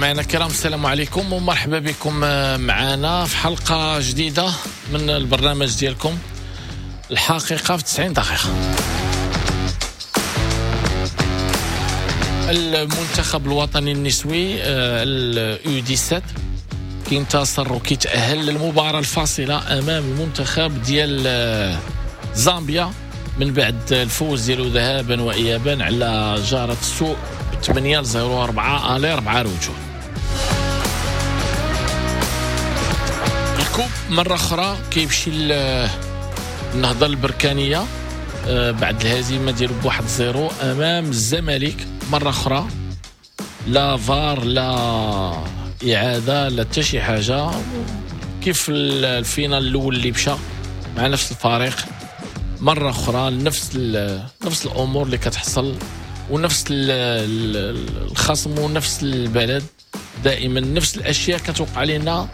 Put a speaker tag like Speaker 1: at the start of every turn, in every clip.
Speaker 1: مستمعينا الكرام، السلام عليكم ومرحبا بكم معنا في حلقة جديدة من البرنامج ديالكم الحقيقة في 90 دقيقة. المنتخب الوطني النسوي ال U17 كينتصر وكيتأهل للمباراة الفاصلة أمام المنتخب ديال زامبيا من بعد الفوز ديالو ذهابا وإيابا على جارة السوء 8-0 4 aller 4 retour. ال coupe مرة أخرى كيمشي للنهضة البركانية بعد الهزيمة ديالو ب1-0 أمام الزمالك. مرة أخرى لا فار لا إعادة لا حتى شي حاجة، كيف ال finale الأول اللي مشى مع نفس الفريق مرة أخرى نفس الأمور اللي كتحصل ونفس الخصم ونفس البلد، دائما نفس الاشياء كتوقع لنا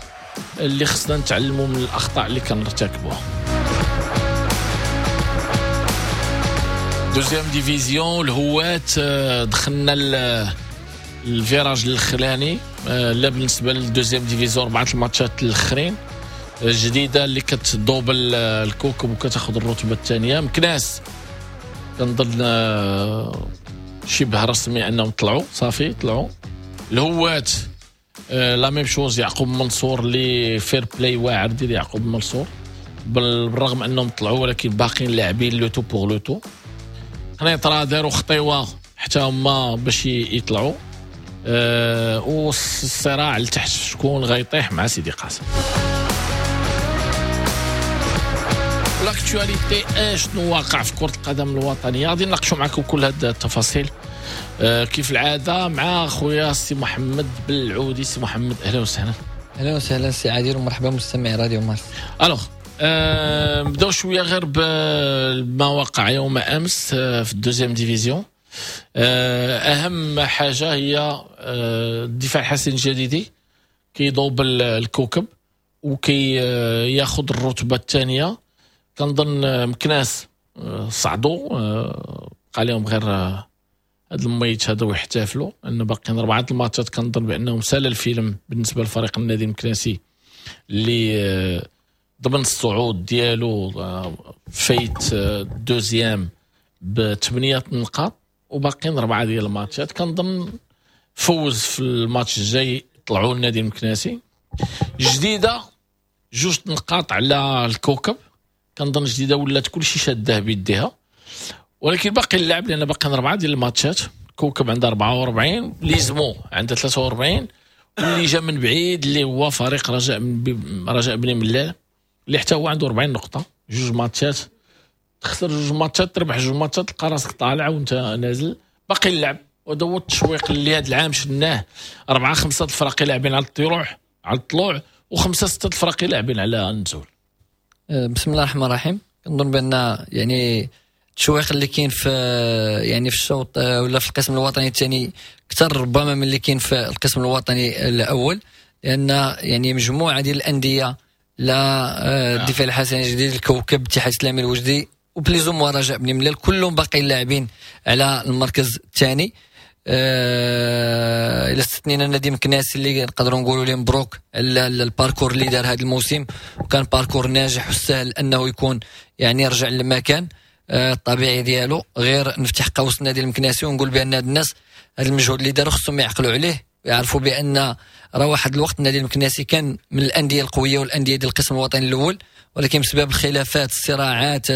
Speaker 1: اللي خصنا نتعلموا من الاخطاء اللي كنرتكبوها. deuxième division الهوات دخلنا ال virage الاخراني، لا بالنسبة لل deuxième division 4 الماتشات الاخرين الجديدة اللي كتدوبل الكوكب وكتاخذ الرتبة الثانية. مكناس كنظن شبه رسمي انهم طلعوا، صافي طلعوا. الهوات la même chose، يعقوب منصور اللي fair-play واعر ديال يعقوب منصور، بالرغم انهم طلعوا ولكن باقيين لاعبين le tout pour le tout. قنيطره داروا خطيوه حتى هما باش يطلعوا، والصراع لتحت شكون غيطيح مع سيدي قاسم. l'actualité اشنو واقع في كرة القدم الوطنية، غادي نناقشوا معكم كل هاد التفاصيل كيف العادة مع خويا سي محمد بالعودي. سي محمد اهلا وسهلا.
Speaker 2: اهلا وسهلا سي عادل ومرحبا مستمعي راديو مارس.
Speaker 1: alors نبداو شوية غير بما وقع يوم امس في ال deuxième division. اهم حاجة هي الدفاع الحسن الجديدي كيضوب الكوكب وكي ياخذ الرتبة الثانية. كنظن مكناس صعدوا، بقى لهم غير هاد الميت هذا ويحتفلوا ان باقيين 4 الماتشات. كنظن بانهم سال الفيلم بالنسبة لفريق النادي المكناسي اللي ضمن الصعود ديالو، فايت deuxième ب8 نقاط وباقيين 4 ديال الماتشات. كنظن فوز في الماتش الجاي طلعوا النادي المكناسي. جديدة 2 نقاط على الكوكب، كنظن جديدة ولات كلشي شاده بيديها، ولكن باقي اللعب لان باقي 4 ديال الماتشات. كوكب عنده 44، ليزمو عنده 43، واللي جا من بعيد اللي هو فريق رجاء بني ملال اللي حتى هو عنده 40 نقطة. 2 ماتشات تخسر 2 ماتشات تربح 2 ماتشات تلقى راسك طالع وانت نازل. باقي اللعب، وهذا هو التشويق اللي هذا العام شفناه. 4 5 الفرق لاعبين على الطلوع و5 6 الفرق لاعبين على النزول.
Speaker 2: بسم الله الرحمن الرحيم. كنظن بان يعني التشويق اللي كاين في يعني في الشوط ولا في القسم الوطني الثاني اكثر ربما من اللي كاين في القسم الوطني الاول، لان يعني مجموعة ديال الاندية لا الدفاع الحسني الجديد، الكوكب، الاتحاد الاسلامي الوجدي و plus ou moins رجاء بني ملال كلهم باقيين لاعبين على المركز الثاني. الى استثنينا النادي مكناس اللي نقدروا نقولوا ليه مبروك ال parcours اللي دار هذا الموسم، وكان parcours ناجح وسهل انه يكون يعني يرجع للمكان الطبيعي ديالو. غير نفتح قوس النادي المكناسي ونقول بان هاد الناس هذا المجهود اللي داروا خصهم يعقلوا عليه ويعرفوا بان راه واحد الوقت النادي المكناسي كان من الاندية القوية والاندية ديال القسم الوطني الاول، ولكن بسبب الخلافات الصراعات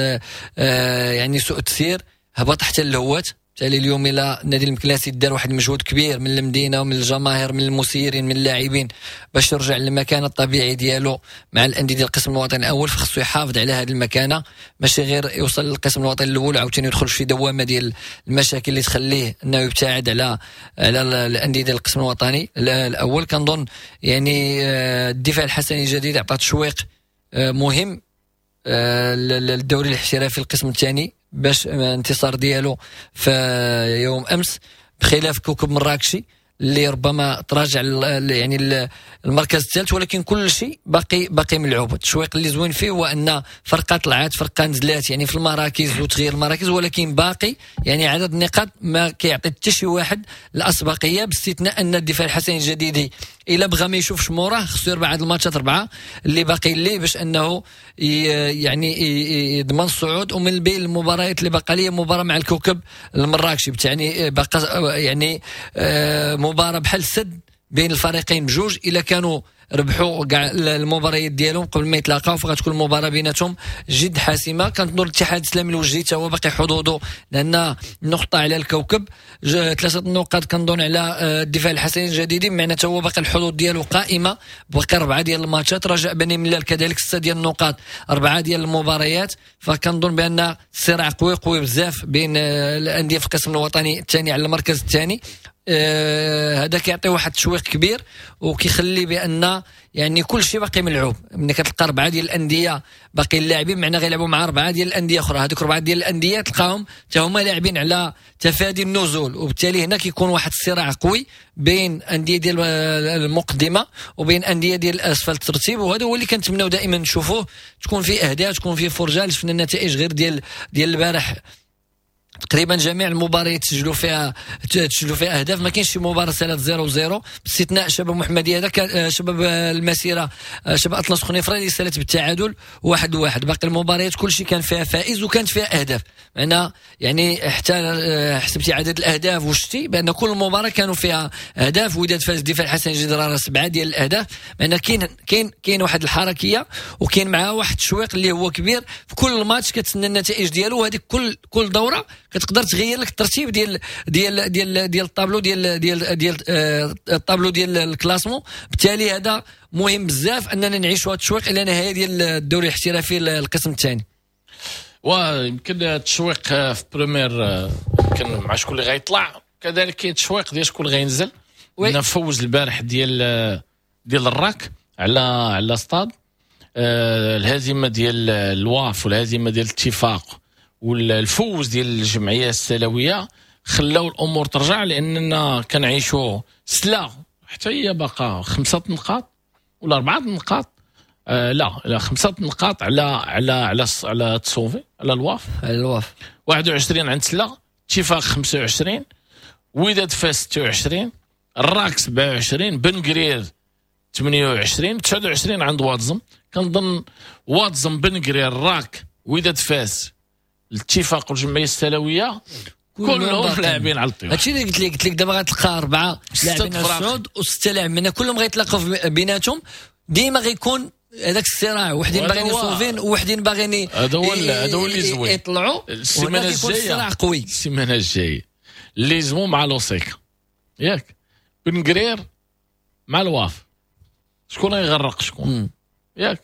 Speaker 2: يعني سوء التسيير هبط حتى الهوات. بالتالي اليوم الى النادي المكناسي دار واحد المجهود كبير من المدينة ومن الجماهير من المسيرين من اللاعبين باش يرجع للمكان الطبيعي ديالو مع الاندية ديال القسم الوطني الاول، فخصو يحافظ على هذه المكانة، ماشي غير يوصل للقسم الوطني الاول عاوتاني يدخل في دوامه ديال المشاكل اللي تخليه انه يبتعد على الاندية ديال القسم الوطني الاول. كنظن يعني الدفاع الحسني الجديد عطى تشويق مهم للدوري الاحترافي القسم الثاني باش انتصار ديالو في يوم امس، بخلاف كوكب مراكشي اللي ربما تراجع يعني المركز الثالث، ولكن كل شيء باقي ملعوب. التشويق اللي زوين فيه هو ان فرقه طلعت، فرقه نزلات يعني في المراكز وتغيير المراكز، ولكن باقي يعني عدد النقاط ما كيعطي حتى شي واحد الاسبقيه، باستثناء ان الدفاع الحسني الجديدي الا بغى ما يشوفش موراه خصو يربح هاد الماتشات اربعة اللي باقي ليه باش انه يعني يضمن الصعود. ومن بين المباريات اللي باقا ليه مباراة مع الكوكب المراكشي، يعني باقا يعني مباراة بحال السد بين الفريقين بجوج، الا كانوا ربحوا كاع المباريات ديالهم قبل ما يتلاقاو فغتكون المباراة بيناتهم جد حاسمة. كانت نور الاتحاد الاسلامي الوجدي حتى هو باقي حظوظه، لان نقطة على الكوكب، 3 نقاط كنظن على الدفاع الحسني الجديدي، معناتها حتى هو باقي الحظوظ ديالو قائمة، باقي 4 ديال الماتشات. رجاء بني ملال كذلك 6 ديال النقاط، 4 ديال المباريات. فكنظن بان الصراع قوي قوي بزاف بين الاندية في القسم الوطني الثاني على المركز الثاني. هذا كيعطي واحد التشويق كبير وكيخلي بان يعني كل شيء باقي ملعوب. ملي كتلقى 4 ديال الاندية باقي اللاعبين، معناه غيلعبوا مع 4 ديال الاندية اخرى، هذوك 4 ديال الاندية تلقاهم حتى هما لاعبين على تفادي النزول، وبالتالي هنا كيكون واحد الصراع قوي بين اندية ديال المقدمة وبين اندية ديال اسفل الترتيب. وهذا هو اللي كنتمناو دائما نشوفوه، تكون فيه اهداف، تكون فيه فرجه. شفنا النتائج غير ديال البارح، تقريبا جميع المباريات تسجلوا فيها اهداف، ما كاينش شي مباراة سالات 0-0 باستثناء شباب محمديه، هذا شباب المسيرة، شباب اطلس خنيفره اللي سالت بالتعادل 1-1. باقي المباريات كل شيء كان فيها فائز وكانت فيها اهداف، معنا يعني حتى حسبتي عدد الاهداف وشتي بان كل مباراة كانوا فيها اهداف. وداد فاز الدفاع الحسني الجديدي 7 ديال الاهداف، معنا كاين واحد الحركية وكاين معها واحد التشويق اللي هو كبير في كل ماتش، كتسنى النتائج ديالو. وهذيك كل دوره كتقدر تغير لك الترتيب ديال ديال ديال ديال الطابلو ديال ديال ديال الطابلو ديال ال classement. بالتالي هذا مهم بزاف اننا نعيشوا هذا التشويق الى نهاية ديال الدوري الاحترافي القسم الثاني.
Speaker 1: ويمكن التشويق في première يمكن مع شكون اللي غيطلع، كذلك كاين التشويق ديال شكون اللي غينزل. نفوز البارح ديال الراك على ستاد، الهزيمة ديال الواف والهزيمة ديال الاتفاق والفوز ديال الجمعية السلويه خلاو الامور ترجع، لاننا كنعيشوا سلا حتى هي باقا 5 نقاط ولا 4 نقاط، لا 5 نقاط على على على على تصوفي على الواف،
Speaker 2: على الواف
Speaker 1: 21 عند سلا، اتفاق 25، وداد فاس 26، الراك 27، بن قرير 28، 29 عند واتزم. كنظن واتزم، بن قرير، الراك، وداد فاس، الاتفاق والجمعية السلويه كلهم لاعبين على الطيور.
Speaker 2: هادشي اللي قلت لك دابا غتلقى 4 لاعبين على الصعود و6 لاعبين، كلهم غيتلاقاو بيناتهم، ديما غيكون هذاك الصراع، وحدين باغيين يصوفين وحدين باغيين
Speaker 1: هذا هو اللي زوين
Speaker 2: يطلعوا.
Speaker 1: السيمانة الجاية
Speaker 2: الصراع قوي،
Speaker 1: السيمانة الجاية ليزمو مع لوسيك ياك، بن قرير مع الواف، شكون غيغرق شكون ياك،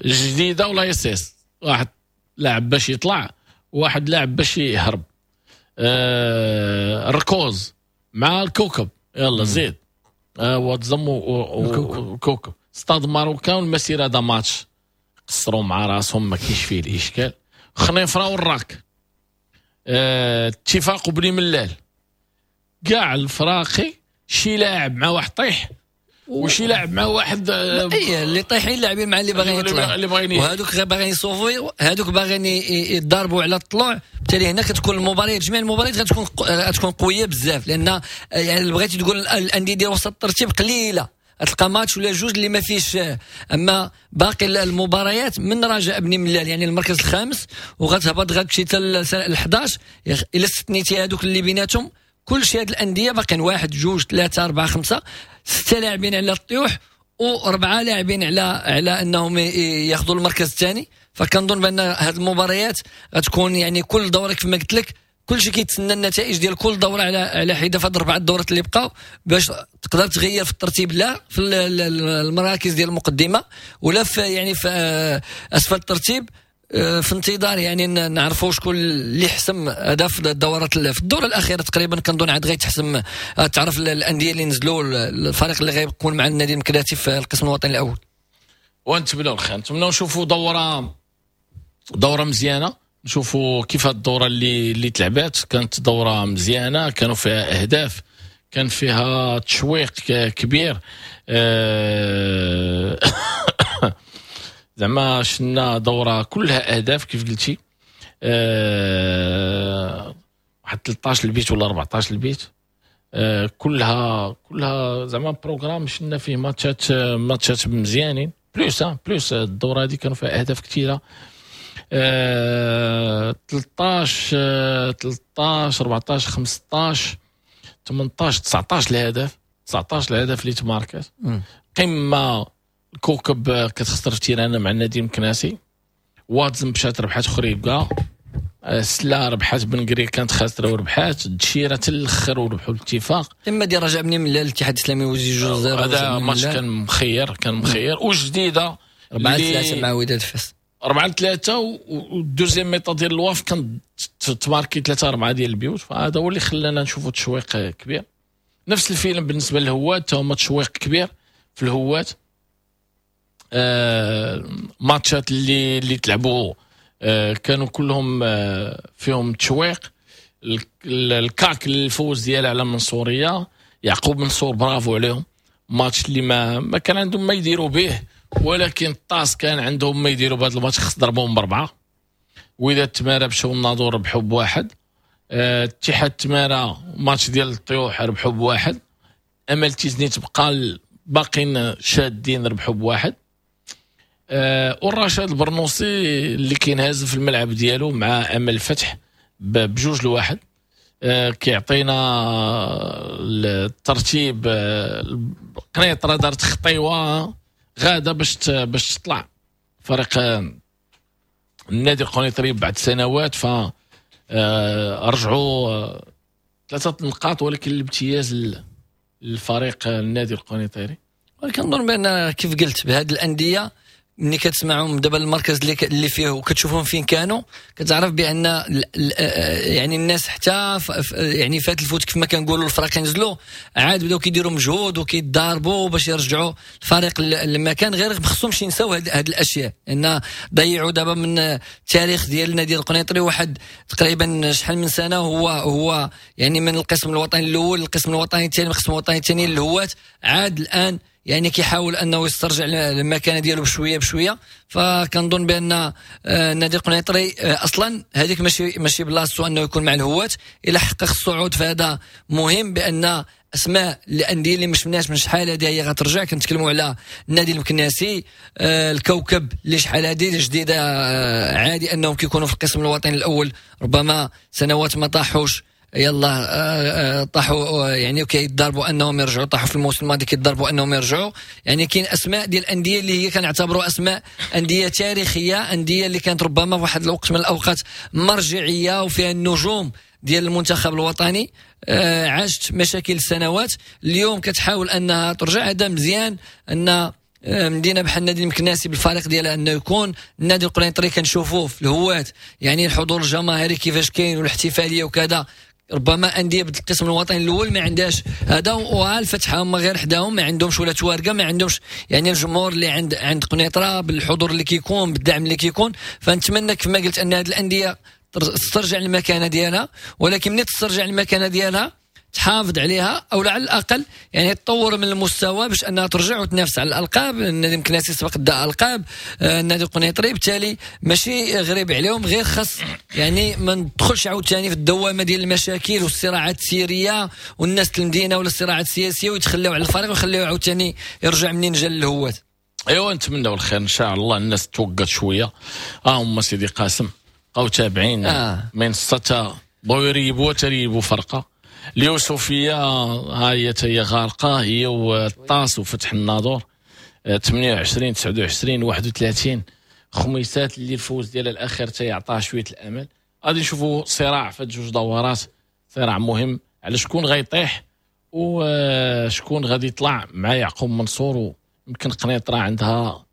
Speaker 1: جديدة ولا يسيس، واحد لاعب باش يطلع وواحد لاعب باش يهرب، الركوز مع الكوكب، يلا زيد واتزم وكوكب، Stade Marocain والمسيره هذا ماتش قصروا مع راسهم ما كاينش فيه الاشكال، خنيفره والراك، اتفاق وبني ملال، كاع الفراقي شي لاعب مع واحد طيح وشي لاعب مع واحد،
Speaker 2: اي اللي طايحين لاعبين مع اللي باغيين يطلعوا، وهذوك غير باغيين يصوفوا، هذوك باغيين يضربوا على الطلوع. بالتالي هنا كتكون المباريات، جميع المباريات غتكون قوية بزاف، لان يعني بغيتي تقول الاندية ديال وسط الترتيب قليله، تلقى ماتش ولا جوج اللي ما فيش. اما باقي المباريات من رجاء بني ملال يعني المركز الخامس وغتهبط غتمشي حتى ل 11، الا استثنيتي هذوك اللي بيناتهم كل شيء هاد الاندية باقيين 1 2 3 4 5 6 لاعبين على الطيوح و4 لاعبين على انهم ياخذوا المركز الثاني. فكنظن بان هاد المباريات غتكون يعني كل دوره كما قلت لك كل شيء كيتسنى النتائج ديال كل دوره على حده في هاد 4 الدورات اللي بقاو باش تقدر تغير في الترتيب، لا في المراكز ديال المقدمة ولا في يعني في اسفل الترتيب، في انتظار يعني نعرفوا شكون اللي حسم هذا في الدورات في الدورة الاخيرة تقريبا. كنظن عاد غيتحسم، تعرف الاندية اللي نزلوا، الفريق اللي غيكون مع النادي المكلاتي في القسم الوطني الاول.
Speaker 1: ونتمنوا الخير، نتمنوا نشوفوا دوره مزيانه. نشوفوا كيف الدورة اللي تلعبات. كانت دوره مزيانه، كانوا فيها اهداف، كان فيها تشويق كبير. زعما شنا دوره كلها اهداف كيف قلتي، واحد 13 البيت ولا 14 البيت، كلها زعما programme شنا فيه ماتشات مزيانين. plus الدورة هذه كانوا فيها اهداف كثيرة، 13 14 15 18 19 الهدف، 19 الهدف اللي تماركات. قمة الكوكب كتخسر في terrain مع النادي المكناسي، واتزم مشات ربحات خريبكا، سلا ربحات بن قرير كانت خاسرة وربحات، الدشيره حتى الاخر وربحوا الاتفاق.
Speaker 2: تما ديال رجاء بني ملال الاتحاد الاسلامي وزي 2-0،
Speaker 1: هذا ماتش كان مخير، كان مخير. وجديدة
Speaker 2: 4-3 مع وداد فاس،
Speaker 1: 4-3، وال deuxième mi-temps ديال الواف كان تماركي 3-4 ديال البيوت. فهذا هو اللي خلانا نشوفوا تشويق كبير. نفس الفيلم بالنسبة للهوات، تا هما تشويق كبير في الهوات. ماتشات اللي تلعبوا كانوا كلهم فيهم تشويق. الكاك الفوز ديالها على منصوريه، يعقوب منصور برافو عليهم، ماتش اللي ما كان عندهم ما يديروا به، ولكن الطاس كان عندهم ما يديروا بهذا الماتش، خص ضربوهم ب4. وإذا تمارا مشاو الناظور ربحوا ب1، اتحاد تمارا ماتش ديال الطيوح ربحوا ب1، امل تيزنيت تبقى باقين شادين ربحوا ب1. والرشاد البرنوسي اللي كينهزم في الملعب ديالو مع امل الفتح ب2-1، كيعطينا الترتيب. قنيطره دارت خطيوه غاده باش تطلع فريق النادي القنيطري بعد سنوات، ف رجعوا 3 نقاط، ولكن الامتياز للفريق النادي القنيطري.
Speaker 2: ولكن نظن بان كيف قلت بهذه الاندية ملي كتسمعهم دابا المركز اللي فيه وكتشوفهم فين كانوا، كتعرف بان يعني الناس حتى يعني فات الفوت كيف ما كنقولوا، الفرق نزلوا عاد بداو كيديروا مجهود وكيتضاربوا باش يرجعوا الفريق للمكان. غير ما خصهمش ينساو هاد الاشياء، ان ضيعوا دابا من التاريخ ديال النادي القنيطري واحد تقريبا شحال من سنة هو يعني من القسم الوطني الاول للقسم الوطني الثاني، القسم الوطني الثاني للهواة، عاد الان يعني كيحاول انه يسترجع المكانة ديالو بشوية بشوية. فكنظن بان النادي القنيطري اصلا هذيك ماشي بلاصتو انه يكون مع الهواة. الى حقق الصعود فهذا مهم، بان اسماء الاندية اللي ما شفناش من شحال هذه هي غترجع. كنتكلموا على النادي المكناسي، الكوكب اللي شحال هذه جديدة، عادي انهم كيكونوا في القسم الوطني الاول، ربما سنوات ما طاحوش، يلا طاحوا يعني وكيتضاربوا انهم يرجعوا، طاحوا في الموسم الماضي كيتضاربوا انهم يرجعوا. يعني كاين اسماء ديال الاندية اللي هي كنعتبروا اسماء اندية تاريخية، اندية اللي كانت ربما في واحد الوقت من الاوقات مرجعية وفيها النجوم ديال المنتخب الوطني، عاشت مشاكل سنوات، اليوم كتحاول انها ترجع. هذا مزيان ان مدينة بحال النادي المكناسي بالفريق ديالها انه يكون النادي القنيطري كنشوفوه في الهواة، يعني الحضور الجماهيري كيفاش كاين والاحتفاليه وكذا. ربما اندية بالقسم الوطني الاول ما عندهاش هذا، والفتحة هما غير حداهم ما عندهمش ولا توارقه، ما عندهمش يعني الجمهور اللي عند قنيطره بالحضور اللي كيكون بالدعم اللي كيكون. فنتمنى كما قلت ان هذه الاندية تسترجع المكانة ديالها، ولكن ملي تسترجع المكانة ديالها تحافظ عليها او على الاقل يعني تطور من المستوى باش انها ترجع وتنافس على الالقاب. النادي المكناسي سبق دا القاب، النادي القنيطري بالتالي ماشي غريب عليهم، غير خاص يعني ما ندخلش عاوتاني في الدوامة ديال المشاكل والصراعات السيريه والناس المدينة ولا الصراعات السياسية ويتخلاو على الفريق ويخليوه عاوتاني يرجع منين جا للهوات.
Speaker 1: ايوا نتمناو الخير ان شاء الله. الناس توقت شوية، هما سيدي قاسم بقاو تابعين منصة بغاو يريبوا تريبوا فرقه. اليوسفيه ها هي غارقة، هي والطاس وفتح الناظور 28 29 31 خميسات اللي الفوز ديالها الاخير تيعطاه شوية الامل. غادي نشوفوا صراع في جوج دورات، صراع مهم على شكون غيطيح وشكون غادي يطلع مع يعقوب منصور. ويمكن قنيطره عندها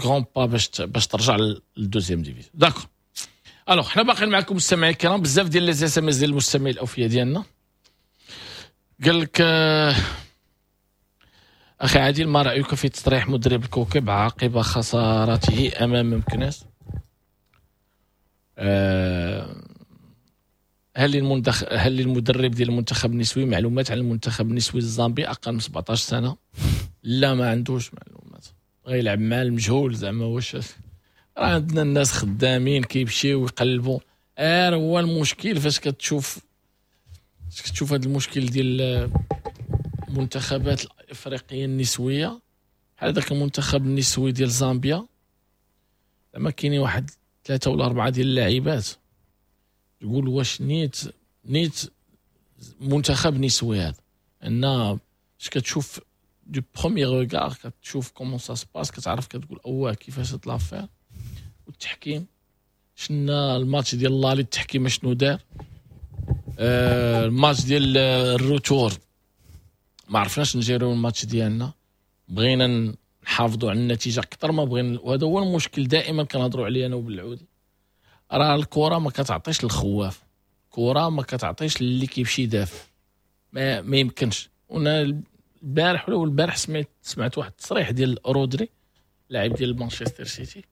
Speaker 1: grand pas باش ترجع لل deuxième division. d'accord، alors حنا باقيين معكم المستمعين الكرام، بزاف ديال les SMS ديال المستمعين الاوفياء ديالنا. قال لك اخي عادل، ما رايك في تصريح مدرب الكوكب عقب خسارته امام مكناس؟ هل للمدرب ديال المنتخب النسوي معلومات على المنتخب النسوي الزامبي اقل من 17 سنة؟ لا، ما عندوش معلومات، غيلعب مع المجهول زعما. واش راه عندنا الناس خدامين كيمشيو ويقلبوا. هو المشكل فاش كتشوف هذا المشكل ديال المنتخبات الافريقية النسوية، بحال هذاك المنتخب النسوي ديال زامبيا زعما كاينين واحد 3 ولا 4 ديال اللاعبات، تقول واش نيت منتخب نسوي هذا. ان اش كتشوف du premier regard، كتشوف comment ça se passe، كتعرف كتقول اوه كيفاش هاد l'affaire. والتحكيم شنا الماتش ديال l'aller التحكيم شنو دار، الماتش ديال ال retour ما عرفناش نجيريو الماتش ديالنا، بغينا نحافظوا على النتيجة اكثر ما بغينا. وهذا هو المشكل دائما كنهضروا عليه انا وبالعودي، راه الكره ما كتعطيش الخواف، الكره ما كتعطيش اللي كيمشي يدافع، ما يمكنش. وانا البارح ولا البارح سمعت واحد التصريح ديال رودري لاعب ديال مانشستر سيتي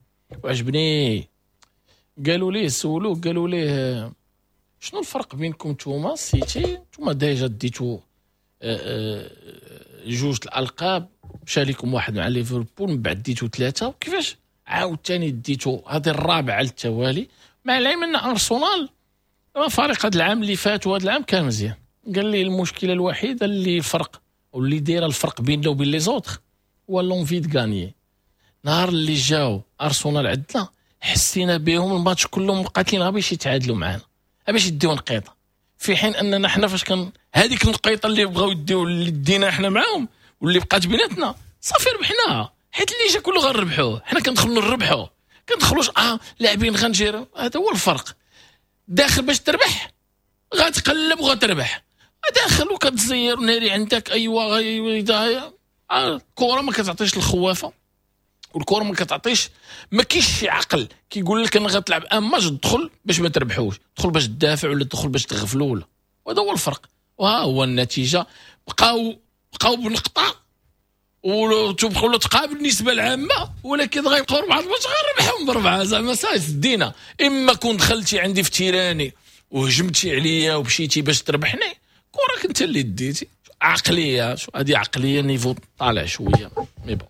Speaker 1: وعجبني. قالوا ليه، سولوه قالوا ليه شنو الفرق بينكم نتوما سيتي، نتوما déjà ديتو 2 الالقاب، مشى لكم واحد مع ليفربول، من بعد ديتو 3، وكيفاش عاوتاني ديتو هذه الرابعة على التوالي، مع العلم ان ارسنال فريق هذا العام اللي فات وهذا العام كان مزيان. قال لي المشكلة الوحيدة اللي فرق واللي دايرة الفرق بيننا وبين les autres هو l'envie de gagner. نهار اللي جاو ارسنال عندنا حسينا بهم الماتش كلهم مقاتلين غير باش يتعادلوا معنا، باش يديو نقيطه، في حين اننا حنا فاش كان هذيك النقيطه اللي بغاو يديو اللي دينا حنا معاهم واللي بقات بيناتنا صافي ربحناها، حيت اللي جا كله غنربحوه، حنا كندخلوا نربحوه، كندخلوش لاعبين غنجيرو. هذا هو الفرق، داخل باش تربح غتقلب وغتربح، داخل وكتزير ناري عندك ايوا الكره ما كتعطيش الخوافه، والكره ما كتعطيش، ما كاينش شي عقل كيقول لك انا غتلعب un match تدخل باش ما تربحوش، تدخل باش تدافع ولا تدخل باش تغفلوا ولا. وهذا هو الفرق، وها هو النتيجة. بقاو بنقطة وتبقاو تقابل النسبة العامة، ولكن غيبقاو 4 الماتش غنربحهم ب4 زعما صاي سدينا. اما كون دخلتي عندي في terrain وهجمتي عليا ومشيتي باش تربحني، كره انت اللي ديتي. عقلية، هذه عقلية niveau طالع شوية. mais bon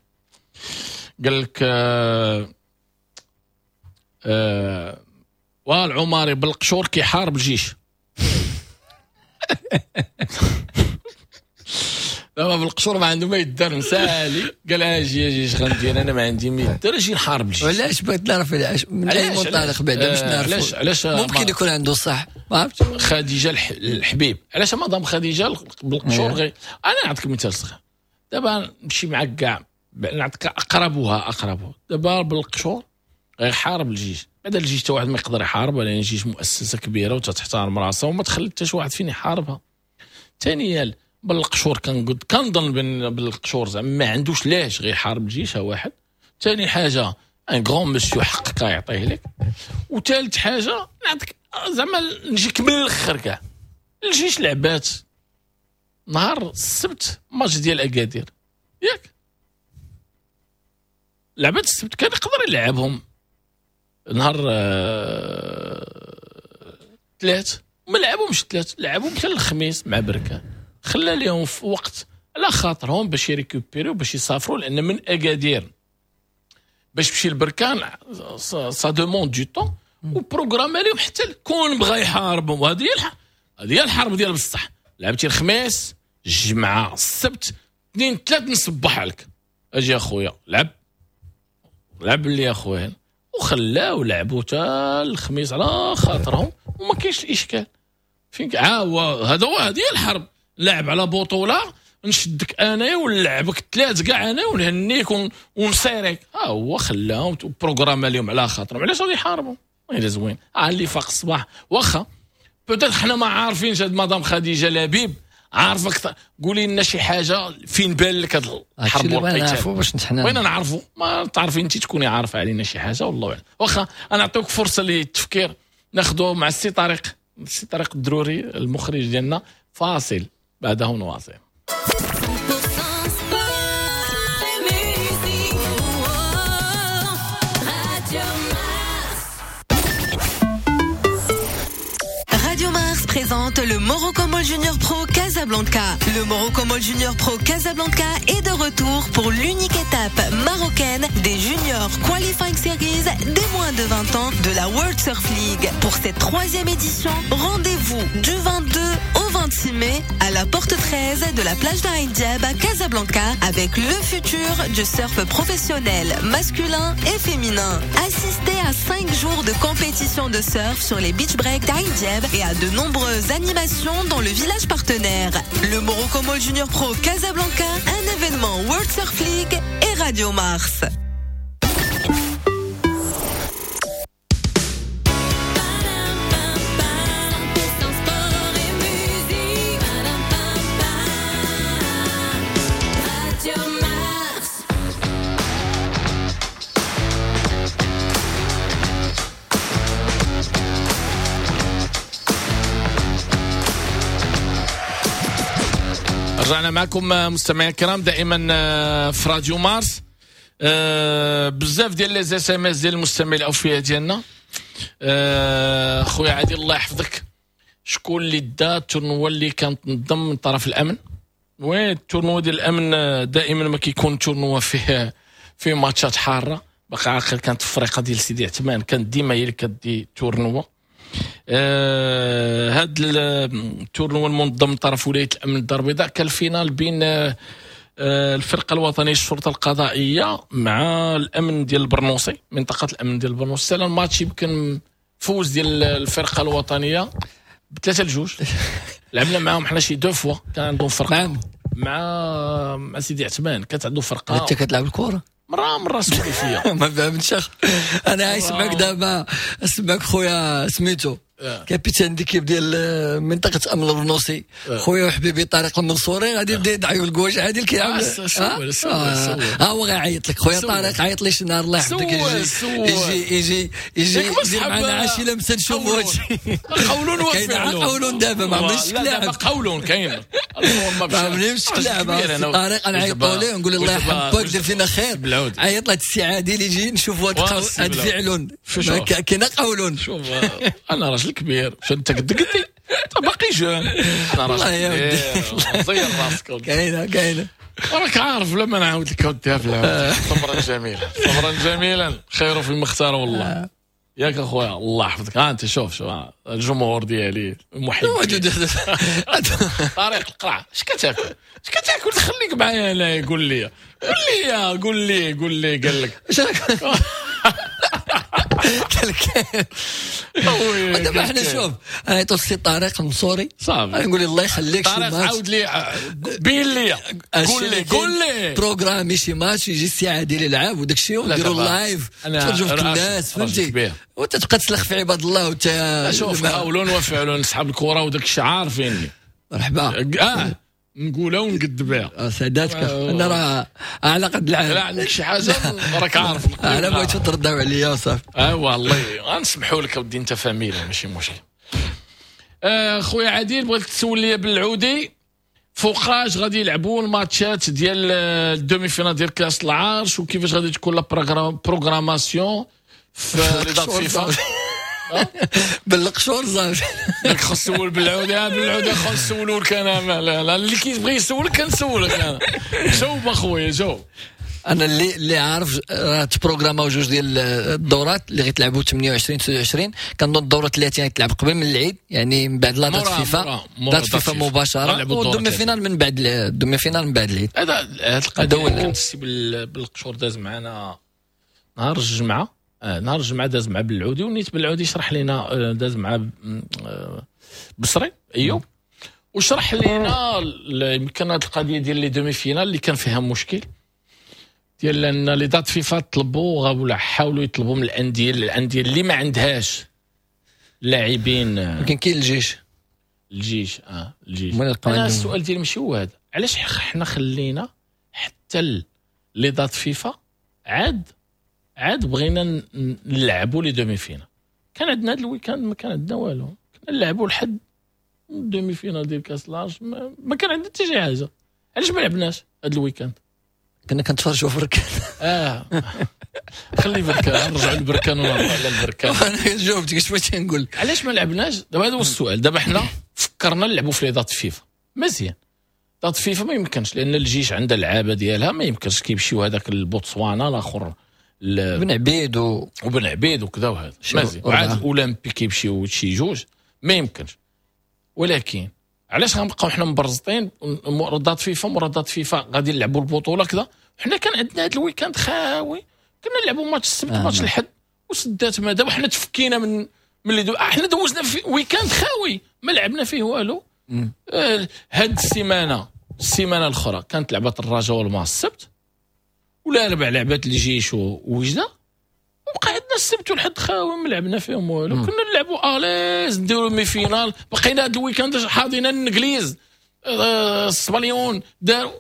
Speaker 1: قال لك والعماري بالقشور كيحارب الجيش. دابا بالقشور ما عنده ما يدار، مسالي قال اجي اجي اش غندير انا، ما عندي ما يدار، اجي نحارب الجيش.
Speaker 2: علاش بغيت نعرف علاش، من اي منطلق بعدا باش نعرف
Speaker 1: علاش
Speaker 2: ممكن يكون عنده صح، ما عرفتش.
Speaker 1: خديجة الحبيب، علاش مدام خديجة بالقشور غير. انا نعطيك مثال صغير دابا، نمشي معاك كاع نعطيك اقربها. دابا بالقشور غيحارب الجيش، بعدا الجيش حتى واحد ما يقدر يحارب، لان الجيش مؤسسة كبيرة وتحترم راسها وما تخلي حتى شي واحد فين يحاربها. ثانيا بالقشور كنظن بالقشور زعما ما عندوش لاش غيحارب الجيش، ها واحد. ثاني حاجة un grand monsieur حقك يعطيه لك. وثالث حاجة نعطيك زعما نجيك من الاخر كاع، الجيش لعبات نهار السبت ماتش ديال اكادير، ياك لعبات السبت كان يقدر يلعبهم نهار ثلاث، ما لعبهمش ثلاث، لعبهم حتى الخميس مع بركان، خلى لهم في وقت على خاطرهم باش يريكوبيريو باش يسافروا، لان من اكادير باش تمشي لبركان ça demande du temps، و programme لهم حتى كون بغى يحاربهم. وهذه هي الحرب ديال بصح، لعبتي الخميس الجمعة السبت 2 3 نصبح عليك، اجي اخويا لعب لي اخويا، وخلاو لعبوا حتى الخميس على خاطرهم وما كاينش الاشكال. فين هو هذا، هو هذه الحرب، لعب على بطوله نشدك انا ونلعبك ثلاث كاع انا ونهنيك ونسيرك. ها هو خلاهم programme لهم على خاطرهم، علاش غادي يحاربوا؟ الا زوين اللي فاق الصباح واخا peut-être حنا ما عارفينش هاد مدام خديجة لبيب عارفه اكثر، قولي لنا شي حاجة فين بان لك هاد الحرب
Speaker 2: والقتال، نعرفوا باش حنا
Speaker 1: بغينا نعرفوا، ما تعرفي انت تكوني عارفه علينا شي حاجة والله اعلم. واخا انا نعطيك فرصة للتفكير، ناخذوا مع السي طارق، السي طارق الدروري المخرج ديالنا، فاصل بعده نواصل.
Speaker 3: présente le Morocco Mall Junior Pro Casablanca. Le Morocco Mall Junior Pro Casablanca est de retour pour l'unique étape marocaine des Junior Qualifying Series des moins de 20 ans de la World Surf League. Pour cette troisième édition, rendez-vous du 22 au 26 mai à la porte 13 de la plage d'Ain Diab à Casablanca avec le futur du surf professionnel masculin et féminin. Assistez à 5 jours de compétition de surf sur les beach breaks d'Ain Diab et à de nombreuses animations dans le village partenaire. Le Morocco Mall Junior Pro Casablanca, un événement World Surf League et Radio Mars.
Speaker 1: رجعنا معكم مستمعينا الكرام دائما في راديو مارس. بزاف ديال les SMS ديال المستمعين الاوفياء ديالنا. خويا عادل الله يحفظك، شكون اللي دا ال tournoi اللي كانت تنظم من طرف الامن؟ oui ال tournoi ديال الامن دائما ما كيكون tournoi فيه ماتشات حارة. باقي عاقل كانت الفريقه ديال سيدي عثمان كانت ديما هي اللي كدي tournoi. هاد ال tournoi المنظم من طرف ولاية الامن الدار البيضاء كان ال finale بين الفرقة الوطنية للشرطة القضائية مع الامن ديال البرنوصي، منطقة الامن ديال البرنوصي. سالا الماتش يمكن فوز ديال الفرقة الوطنية ب3-2. لعبنا معاهم حنا شي deux fois، كان عندهم فرقه مع سيدي عثمان، كانت عنده فرقه.
Speaker 2: انت كتلعب الكره
Speaker 1: مرة سولي فيا
Speaker 2: ما فهمتش. انا عايش معك دابا، اسمعك خويا سميتو capitaine d'équipe ديال منطقة امن البرنوصي، خويا وحبيبي طارق المنصوري، غادي يبدا يدعي الكواش عادل كيعمل. ها هو غيعيط لك خويا طارق، عيط لي شي نهار الله يحفظك، يجي يجي يجي يدير معنا عشي لمسه نشوفوا هادشي.
Speaker 1: قولون وفعلون،
Speaker 2: قولون دابا ما عمرنيش
Speaker 1: لعب قولون كاين،
Speaker 2: ما عمرنيش لعب. طارق نعيطوا ليه ونقول الله يحفظك دير فينا خير، عيط لهاد السي عادل يجي نشوفوا هاد فعلون كاين قولون.
Speaker 1: شوف انا راجل كبير، شو انت قد قدي، انت باقي jeune. انا راجل كبير، زير راسك.
Speaker 2: كاينه
Speaker 1: راك عارف لما نعاود لك اوديها في العود. صبرا جميلا، صبرا جميلا، خير في المختار والله. ياك اخويا الله يحفظك. ها انت شوف الجمهور ديالي المحب طارق القرع، اش كتاكل اش كتاكل؟ خليك معايا انا. قول لي قول لي قول لي قول لي قال لك
Speaker 2: دابا حنا شوف انا عيطوا السي طارق المنصوري
Speaker 1: صافي،
Speaker 2: نقول الله يخليك
Speaker 1: شي ماتش، عاود لي بين لي قول لي قول لي
Speaker 2: programmer شي ماتش يجي السي عادل يلعب وداك الشيء ونديروا live تفرجوا في الناس، فهمتي؟ وانت تبقى تسلخ في عباد الله. وانت
Speaker 1: شوف قولون وفعلون صحاب الكره وداك الشيء عارفيني.
Speaker 2: مرحبا
Speaker 1: نقولها ونقد بها
Speaker 2: سعداتك. انا راه على قد العالم،
Speaker 1: لا عندك شي حاجة راك عارف.
Speaker 2: انا بغيت ترداو عليا وصافي.
Speaker 1: ايوا الله غنسمحوا لك اودي، انت فاميلا ماشي مشكل. خويا عادل بغيت تسول لي بالعودي فوقاش غادي يلعبوا الماتشات ديال ال demi-finale ديال كاس العرش، وكيفاش غادي تكون la programmation في les dates FIFA؟
Speaker 2: بالقشور صافي.
Speaker 1: داك خص تسول بالعودة، بالعودة خص نسولوك انا. لا اللي كيبغي يسولك كنسولك انا. جاوب اخويا جاوب.
Speaker 2: انا اللي عارف راه تبروغراماو جوج ديال الدورات اللي غيتلعبوا 28 29، كنظن الدورة 30 غتلعب قبل من العيد، يعني من بعد la date FIFA، date FIFA مباشرة، وال demi-finale من بعد ال demi-finale من بعد العيد.
Speaker 1: هذا القضية كانت السي بالقشور داز معنا نهار الجمعة، نهار الجمعة داز مع بالعودي، ونيت بالعودي شرح لنا، داز مع بصري ايوب وشرح لنا يمكن هذه القضية ديال les demi-finales اللي كان فيها مشكل ديال ان les dates FIFA طلبوا ولا حاولوا يطلبوا من الاندية اللي ما عندهاش لاعبين.
Speaker 2: يمكن كاين الجيش
Speaker 1: الجيش الجيش. انا السؤال ديالي ماشي هو هذا، علاش حنا خلينا حتى les dates FIFA عاد بغينا نلعبوا les demi-finales؟ كان عندنا هذا ال week-end ما كان عندنا والو، كنا نلعبوا لحد demi-finale ديال كاس العرش، ما كان عندنا حتى شي حاجة. علاش ما لعبناش هذا ال week-end؟
Speaker 2: كنا كنتفرجوا في الركان.
Speaker 1: خلي بركان، نرجعوا للبركان ونرجعوا على البركان.
Speaker 2: انا جاوبتك، اش بغيتي نقول؟
Speaker 1: علاش ما لعبناش دابا؟ هذا هو السؤال. دابا حنا فكرنا نلعبوا في les dates FIFA، مزيان. dates FIFA ما يمكنش، لان الجيش عندها اللعابه ديالها، ما يمكنش كيمشيو هذاك البوتسوانا الاخر
Speaker 2: بن عبيد
Speaker 1: وبن عبيد وكذا وهذا، مزيان. وعاد الاولمبي كيمشيو شي جوج، ما يمكنش. ولكن علاش غنبقاو حنا مبرزطين dates FIFA مورا dates FIFA؟ غادي نلعبوا البطولة كذا. حنا كان عندنا هذا ال week-end خاوي، كنا نلعبوا ماتش السبت، ماتش الحد، وسدات. ما دابا حنا تفكينا من اللي حنا دوزنا في week-end خاوي ما لعبنا فيه والو. هاد السيمانه الاخرى كانت لعبه الرجاء والماس السبت، ولا ربع لعبات الجيش ووجده، وبقى عندنا السبت والحد خاوي ما لعبنا فيهم والو. كنا نلعبوا à l'aise، نديروا demi-finale. بقينا هاد ال week-end حاضينا الانجليز، السبليون دار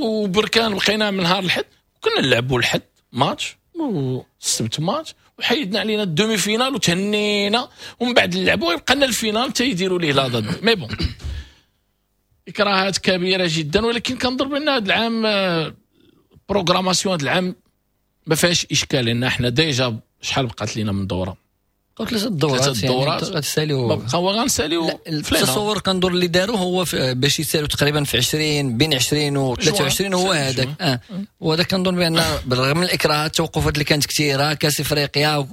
Speaker 1: وبركان. بقينا من نهار الحد كنا نلعبوا الحد ماتش والسبت ماتش، وحيدنا علينا ال demi-finale وتهنينا، ومن بعد نلعبوا يبقى لنا ال finale تيديروا ليه la date. mais bon، اكراهات كبيرة جدا. ولكن كنظن بان هذا العام programmation هذا العام ما فيهاش اشكال، لان احنا déjà شحال بقات لينا من دوره؟
Speaker 2: بقاو ثلاثة الدورات.
Speaker 1: ثلاثة الدورات.
Speaker 2: يعني غتساليو.
Speaker 1: ما بقاو غنساليو.
Speaker 2: التصور كندور اللي داروا هو باش يسالوا تقريبا في 20، بين 20 و 23 هو هذاك. وهذا كنظن بان بالرغم من الاكراهات، التوقفات اللي كانت كثيره، كاس افريقيا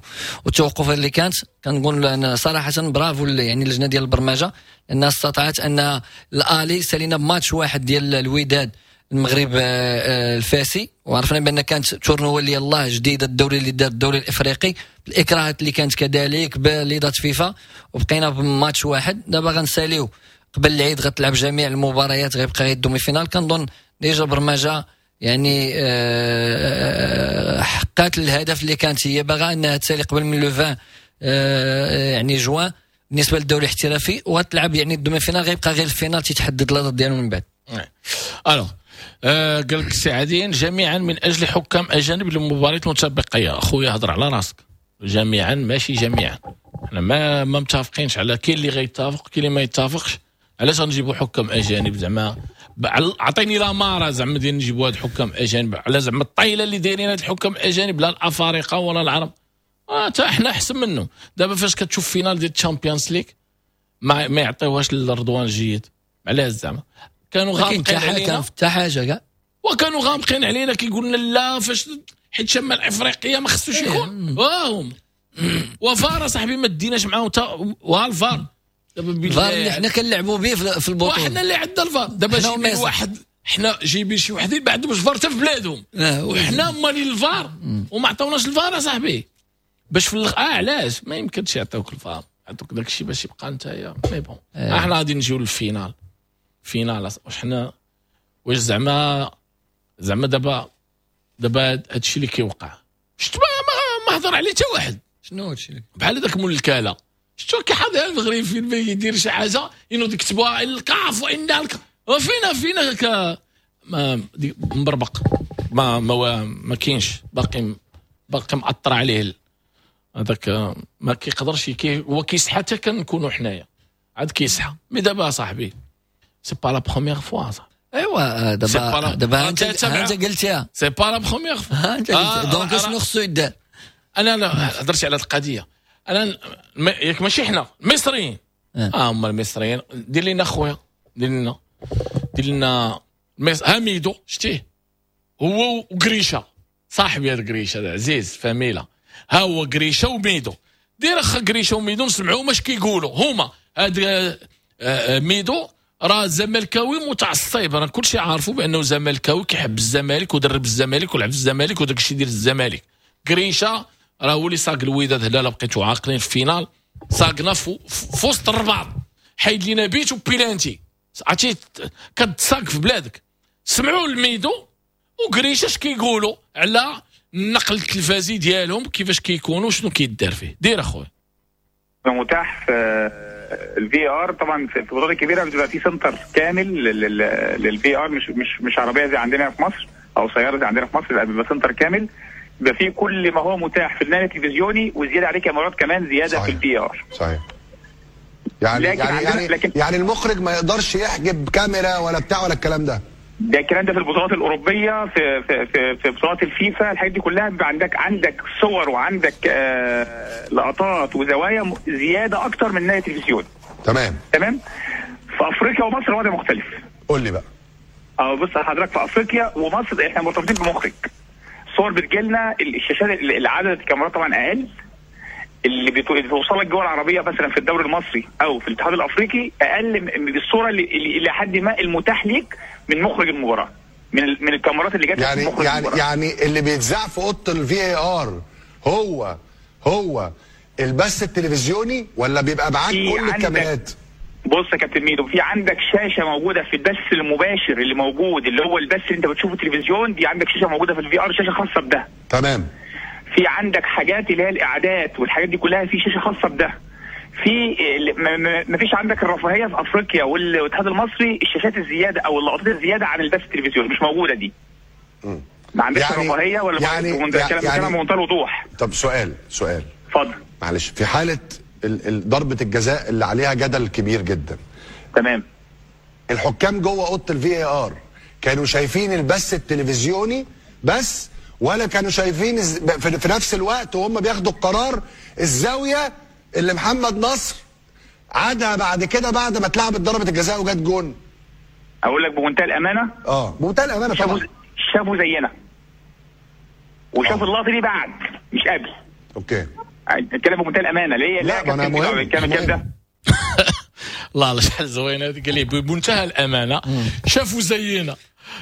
Speaker 2: والتوقفات اللي كانت، كنقول انا صراحة برافو يعني اللجنة ديال البرمجه، لانها استطاعت ان l'aller سالينا بماتش واحد ديال الوداد المغرب الفاسي، وعرفنا بان كانت tournoi اللي يلاه جديده، الدوري اللي دار الدوري الافريقي، الاكراهات اللي كانت كذلك ب les dates FIFA، وبقينا بماتش واحد. دابا غنساليو قبل العيد، غتلعب جميع المباريات، غيبقى غير ال demi-finale. كنظن déjà برمجة يعني حققت الهدف اللي كانت هي باغا، انها تسالي قبل من le 20 يعني جوان بالنسبة للدوري الاحترافي، وغتلعب يعني ال demi-finale، غيبقى غير ال finale تيتحدد la date ديالو من بعد.
Speaker 1: alors قال لك السي عاديين جميعا من اجل حكام اجانب للمباريات المتبقيه. اخويا هضر على راسك، جميعا ماشي جميعا، احنا ما متفقينش على، كاين اللي غيتفق كاين اللي ما يتفقش. علاش غنجيبوا حكام اجانب؟ زعما عطيني l'amara زعما ديال نجيبوا هاد الحكام اجانب، على زعما الطايله اللي دايرين هاد الحكام اجانب، لا الافارقة ولا العرب، حتى احنا احسن منهم. دابا فاش كتشوف finale ديال ال Champions League ما يعطيوهاش للرضوان الجيد، علاش؟ زعما كانوا غامقين علينا
Speaker 2: حتى حاجة كاع.
Speaker 1: وكانوا غامقين علينا، كيقول لنا لا، فاش حيت شمال افريقيا ما خصوش يكون واهم وفار. صاحبي ما ديناش معاهم وها الفار.
Speaker 2: دابا الفار اللي حنا كنلعبوا به في البطوله،
Speaker 1: وحنا اللي عندنا الفار دابا جايبين واحد، حنا جايبين شي وحدين ما عندهمش فار حتى في بلادهم، وحنا مالين الفار وما عطاوناش الفار صاحبي باش في علاش ما يمكنش يعطيوك الفار؟ يعطوك داك الشيء باش يبقى نتايا. mais bon، احنا غادي نجيو لل finale. finale واش حنا واش زعما دابا هادشي اللي كيوقع، شفت ما هضر عليه حتى واحد.
Speaker 2: شنو هادشي؟
Speaker 1: بحال هذاك مول الكاله، شفتو كيحاضر المغرب فين ما يدير شي حاجة ينوض يكتبوها الكاف وان الكاف وفينا ك ما مبربق، ما كاينش، باقي مأثر عليه هذاك، ما كيقدرش هو كيصحى حتى كنكونوا حنايا عاد كيصحى. mais دابا صاحبي c'est pas la première fois صاحبي.
Speaker 2: ايوا دابا انت قلتيها،
Speaker 1: c'est pas la première fois.
Speaker 2: انت donc شنو خصو يدار؟
Speaker 1: انا لا هضرت على القضيه، انا ياك ماشي حنا المصريين، هما المصريين دير لنا خويا، دير لنا ها ميدو، شتيه هو وقريشه صاحبي، هذا قريشه هذا عزيز فاميلا، ها هو قريشه وميدو. دير اخا قريشه وميدو نسمعوا ماش كيقولوا هما. هاد ميدو راه زملكاوي متعصب، راه كلشي عارفو بانه زملكاوي، كيحب الزمالك ودرب الزمالك ولعب في الزمالك وداك الشيء ديال الزمالك. قريشه راه هو اللي ساق الوداد هنا، لا بقيتو عاقلين في finale ساقنا في وسط الرباط، حيد لينا but و penalty، عرفتي كتساق في بلادك. سمعوا الميدو وقريشه اش كيقولوا على النقل التلفازي ديالهم، كيفاش كيكونوا، شنو كيدار فيه. دير اخويا.
Speaker 4: متاح في الفي ار طبعا في البطولات الكبيره، بتبقى في center كامل للفي ار، مش عربية زي عندنا في مصر او سيارة زي عندنا في مصر، لا بيبقى center كامل بيبقى فيه كل ما هو متاح في النقل التلفزيوني وزيادة عليه كاميرات كمان زيادة في الفي ار.
Speaker 5: صحيح، يعني يعني يعني, لكن يعني المخرج ما يقدرش يحجب كاميرا ولا بتاع ولا الكلام ده.
Speaker 4: ده الكلام ده في البطولات الاوروبية، في في في, في بطولات الفيفا، الحاجات دي كلها بيبقى عندك صور وعندك لقطات وزوايا زيادة اكتر من ناحية التلفزيون. تمام. في افريقيا ومصر الوضع مختلف.
Speaker 5: قول لي بقى.
Speaker 4: بص حضرتك، في افريقيا ومصر احنا مرتبطين بمخرج. الصور بتجيلنا، الشاشات، العدد الكاميرات طبعا اقل، اللي بتوصلك جوه العربية مثلا في الدوري المصري او في الاتحاد الافريقي اقل من الصورة اللي الى حد ما المتاح ليك من مخرج المباراة، من الكاميرات اللي جت
Speaker 5: يعني
Speaker 4: مخرج
Speaker 5: يعني
Speaker 4: المباراة.
Speaker 5: يعني اللي بيتذاع في اوضة الفي اي ار هو البث التلفزيوني، ولا بيبقى معاك كل الكاميرات؟
Speaker 4: بص يا كابتن ميدو، في عندك شاشة موجودة في البث المباشر اللي موجود، اللي هو البث اللي انت بتشوفه التلفزيون، دي عندك شاشة موجودة في الفي ار، شاشة خاصة بده.
Speaker 5: تمام.
Speaker 4: في عندك حاجات اللي هي الاعداد والحاجات دي كلها في شاشة خاصة بده. في ما فيش عندك الرفاهية في افريقيا والاتحاد المصري الشاشات الزيادة او اللقطات الزيادة عن البث التلفزيوني مش موجودة دي. ما عندكش يعني رفاهية ولا يعني بمنتهى الوضوح.
Speaker 5: طب سؤال
Speaker 4: اتفضل.
Speaker 5: معلش، في حاله ضربه الجزاء اللي عليها جدل كبير جدا.
Speaker 4: تمام.
Speaker 5: الحكام جوه اوضة الفي اي ار كانوا شايفين البث التلفزيوني بس، ولا كانوا شايفين في نفس الوقت وهم بياخدوا القرار الزاوية اللي محمد نصر عادها بعد كده، بعد ما اتلعبت ضربه الجزاء وجت جون؟
Speaker 4: اقول لك بمنتهى الامانة،
Speaker 5: بمنتهى الامانة طبعا
Speaker 4: شافوا زينا، وشافوا اللقطة دي بعد مش قبل.
Speaker 5: okay،
Speaker 4: الكلام بمنتهى الامانة. ليه؟
Speaker 5: لا ما انا مهم
Speaker 4: الكلام ده.
Speaker 1: الله شحال زوين هذيك، قال لي بمنتهى الامانة شافوا زينا.